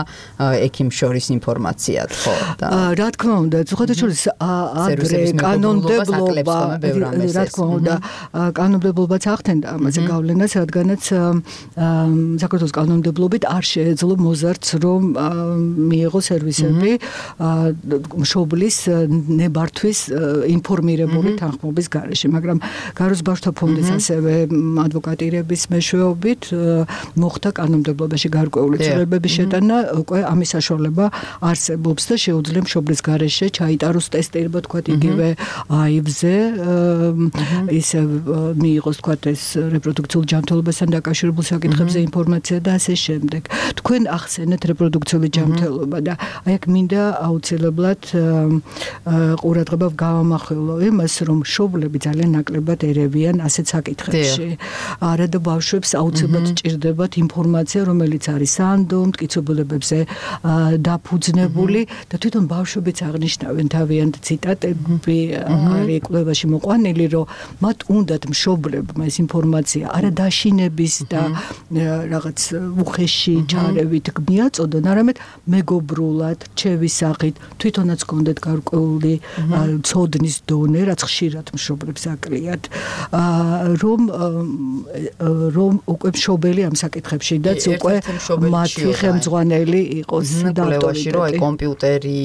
ექიმ შორის ინფორმაციად, ხო და რა თქმა უნდა, ზოგადად შორის ადრე კანონმდებლობა, რა თქმა უნდა, კანონმდებლობაც ახდენდა ამაზე გავლენას, რადგანაც საქართველოს კანონმდებლობით არ შეეძლო მოზარდს რომ მიიღო სერვისები მშობლის ნებართვის ინფორმირებული თანხმობის გარეშე, მაგრამ გაროს ბავშვთა ფონდის ასევე ადვოკატირების მეშვეობით მოხდა კანონმდებლობაში გარკვეული ცვლილებების შეტანა, უკვე ამის საშუალება არსებობს და შეუძლია მშობლის გარეშე ჩაიტაროს ტესტირება, თქვათ იგივე აივ-ზე, ისე მიიღოს თქვათ ეს რეპროდუქციულ ჯანმრთელობასთან დაკავშირებულ საკითხებზე ინფორმაცია და ასე შემდეგ. თქვენ ახსენეთ რეპროდუქციული ჯანმრთელობა და აი აქ მინდა აუცილებლად ყურადღება გავამახვილო იმას, რომ მშობლები ძალიან ნაკლებად ერევიან ასეთ საკითხებში. არა და ბავშვებს აუცილებლად ჭირდება ინფორმაცია, რომელიც არის სანდო, მტკიცებულებებზე დაფუძნებული და თვითონ ბავშვებიც აღნიშნავენ თავიანთ ციტატები არის კვლევაში მოყვანილი, რომ მათ უნდათ მშობლებმა ეს ინფორმაცია არა დაშინების და რაღაც უხეში ჩარევით მიაწოდონ, არამედ მეგობრულად, რჩევის სახით, თვითონაც გქონდეთ გარკვეული ცოდნის დონე, რაც ხშირად მშობლებს აკლიათ, რომ რომ უკვე მშობელი ამ საკითხებში და უკვე მათი ხელმძღვანელი იყოს და ავტორიტეტი. რომ აი კომპიუტერი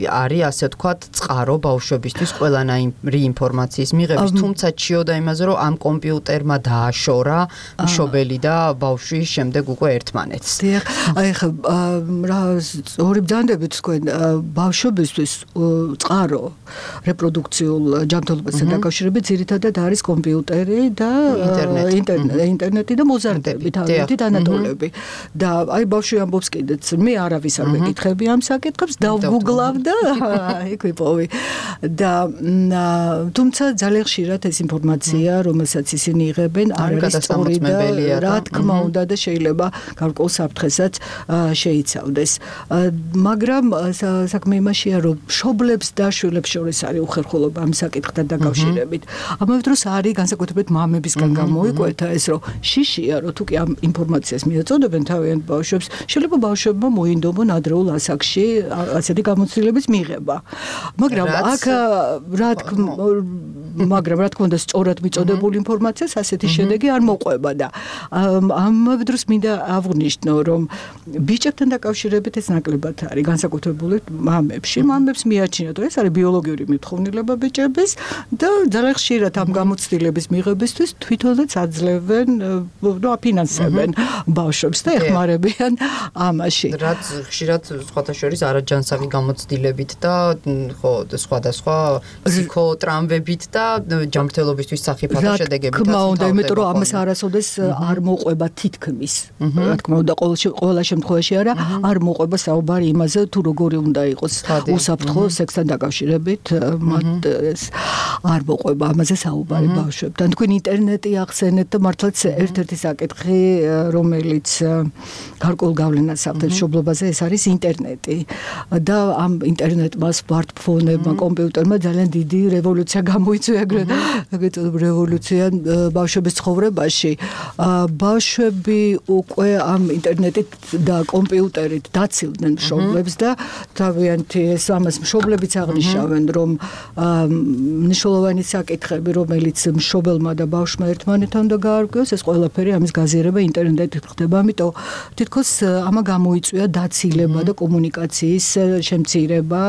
არის ასე ვთქვათ წყარო ბავშვებისთვის ყველანაირი ინფორმაციის მიღების, თუმცა ჩიოდა იმაზე, რომ ამ კომპიუტერმა დააშორა მშობელი და ბავშვი შემდეგ უკვე ერთმანეთს. დიახ, აი ხა რა ორი ბრძანდებით თქვენ ბავშვებისთვის წყარო რეპროდუქციულ ჯანმრთელობასთან დაკავშირებით ძირითადად არის კომპიუტერი და ინტერნეტი და მოზარდები, თავიანთი დანატოლები. და აი ბავშვი ამბობს კიდეც, მე არავის არ მეკითხები ამ საკითხებს, დავგუგლავ და იქ ვიპოვი. და თუმცა ძალიან ხშირად ეს ინფორმაცია, რომელსაც ისინი იღებენ, არ არის სწორი და რა თქმა უნდა და შეიძლება გარკვეულ საფრთხესაც შეიცავდეს. მაგრამ საქმე იმაშია, რომ მშობლებს და შვილებს შორის არის უხერხულობა ამ საკითხთან დაკავშირებით. ამავე დროს არის განსაკუთრებით მამებისგან გამოიკვეთა ეს, რომ შიშია, რომ თუ კი ამ ინფორმაციას მიაწოდებენ თავიანთ ბავშვებს, შეიძლება ბავშვებმა მოინდომონ ადრეულ ასაკში ასეთი გამოცდილების მიღება. მაგრამ აქ რა თქმა მაგრამ რა თქმა უნდა სწორად მიწოდებული ინფორმაციას ასეთი შედეგი არ მოყვება და ამავე დროს მინდა აღვნიშნო, რომ ბიჭებთან დაკავშირებით ეს ნაკლებად არის განსაკუთრებული მამებში. მამებს მიაჩნიათ, რომ ეს არის ბიოლოგიური მithოვნილება ბიჭების და ძალიან ხშირად ამ გამოცდილების მიღებისთვის თვითონაც აძლევენ, ნუ აფინანსებენ ბავშვებს და ეხმარებიან ამაში. რაც ხშირად სხვათა შორის არაჯანსაღი გამოცდილებით და ხო სხვადასხვა ფსიქოტრამვებით და ჯანმრთელობისთვის სახიფათო შედეგებით. რა თქმა უნდა, იმიტომ რომ ამას არასოდეს არ მოყვება თითქმის. რა თქმა უნდა, ყველა შემთხვევაში არა, არ მოყვება საუბარი იმაზე, თუ როგორი უნდა იყოს უსაფრთხო სექსთან დაკავშირებით, მათ ეს არ მოყვება ამაზე საუბარი ბავშვებთან. თქვენ ინტერნეტი ახსენეთ და მართლაც ერთ-ერთი საკითხი, რომელიც გარკვეულ გავლენას ახდენს მშობლობაზე, ეს არის ინტერნეტი. და ამ ინტერნეტმა, სმარტფონებმა, კომპიუტერმა ძალიან დიდი რევოლუცია გამოიწვია, ეგრეთ რევოლუცია ბავშვების ცხოვრებაში. ბავშვები უკვე ამ ინტერნეტით და კომპიუტერით დაცილდნენ მშობლებს და თავიანთი ეს ამას მშობლებიც აღნიშნავენ, რომ მნიშვნელოვანი საკითხები, რომელიც მშობელმა და ბავშვმა ერთმანეთთან უნდა გაარკვიოს, ეს ყველაფერი ამის გაზიარება ინტერნეტით ხდება, ამიტომ თითქოს ამა გამოიწვია დაცილება და კომუნიკაციის შემცირება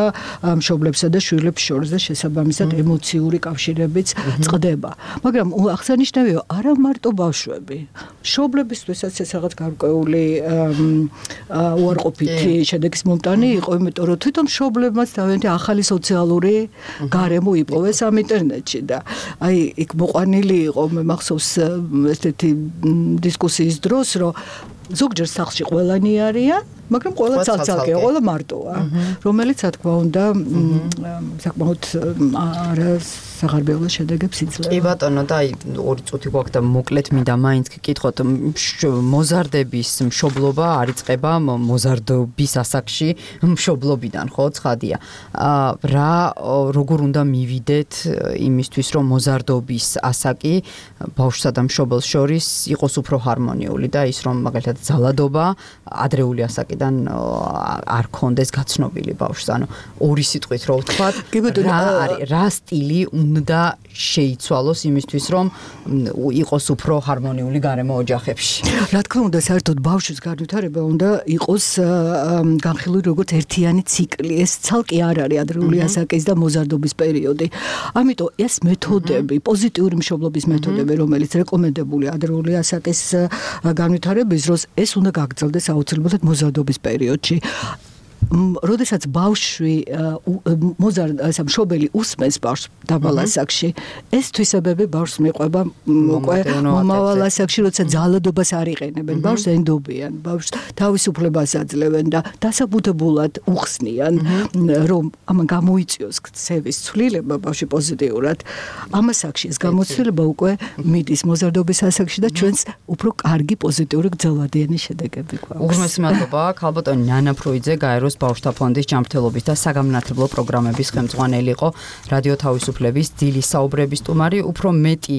მშობლებსა და შვილებს შორის და შესაბამისად ემოციური კავშირებიც წყდება. მაგრამ აღსანიშნავია, არა მარტო ბავშვები, მშობლებისთვისაც ეს რაღაც გარკვეული უარყოფითი შედეგის მომტანი იყო, იმიტომ რომ თვითონ მშობლებმაც თავიანთი ახალი სოციალური გარემო იპოვეს ამ ინტერნეტში და აი იქ მოყვანილი იყო მე მახსოვს ესეთი დისკუსიის დროს, რომ ზოგჯერ სახლში ყველანი არიან, მაგრამ ყველა ცალ-ცალკეა, ყველა მარტოა, რომელიც რა თქმა უნდა საკმაოდ არა საღარბეულო შედეგებს იძლევა. კი ბატონო, და აი ორი წუთი გვაქვს და მოკლედ მინდა მაინც გკითხოთ, მოზარდების მშობლობა არ იწყება მოზარდობის ასაკში მშობლობიდან, ხო, ცხადია. რა როგორ უნდა მივიდეთ იმისთვის, რომ მოზარდობის ასაკი ბავშვსა და მშობელს შორის იყოს უფრო ჰარმონიული და ის რომ მაგალითად ძალადობა ადრეული ასაკიდან არ კონდეს გაცნობილი ბავშვს, ანუ ორი სიტყვით რო ვთქვათ, რა არის, რა სტილი უნდა შეიცვალოს იმისთვის, რომ იყოს უფრო ჰარმონიული გარემო ოჯახებში. რა თქმა უნდა, საერთოდ ბავშვის განვითარება უნდა იყოს განხილული როგორც ერთიანი ციკლი. ეს ცალკე არ არის ადრეული ასაკის და მოზარდობის პერიოდი. ამიტომ ეს მეთოდები, პოზიტიური მშობლობის მეთოდები, რომელიც რეკომენდებულია ადრეული ასაკის განვითარების დროს, ეს უნდა გაგრძელდეს აუცილებლად მოზარდობის პერიოდში. როდესაც ბავშვი მოზარდ ასა მშობელი უსმენს ბავშვს დაბალ ასაკში, ეს თვისებები ბავშვს მიყვება უკვე მომავალ ასაკში, როცა ძალადობას არ იყენებენ, ბავშვს ენდობიან, ბავშვს თავისუფლებას აძლევენ და დასაბუთებულად უხსნიან, რომ ამან გამოიწვიოს ქცევის ცვლილება ბავშვი პოზიტიურად. ამ ასაკში ეს გამოცდილება უკვე მიდის მოზარდობის ასაკში და ჩვენს უფრო კარგი პოზიტიური გრძელვადიანი შედეგები გვაქვს. უღრმესი მადლობა, ქალბატონი ნანა ფრუიძე, გაეროს ბავშვთა ფონდის ჯანმრთელობის და საგამონათლებლო პროგრამების ხელმძღვანელი იყო, რადიო თავისუფლების დილის საუბრების სტუმარი. უფრო მეტი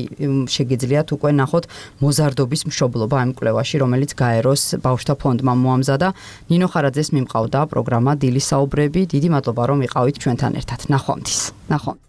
შეგიძლიათ უკვე ნახოთ მოზარდობის მშობლობა ამ კვლევაში, რომელიც გაეროს ბავშვთა ფონდმა მოამზადა. ნინო ხარაძეს მიმყავდა პროგრამა დილის საუბრები. დიდი მადლობა რომ იყავით ჩვენთან ერთად. ნახვამდის. ნახვამდის.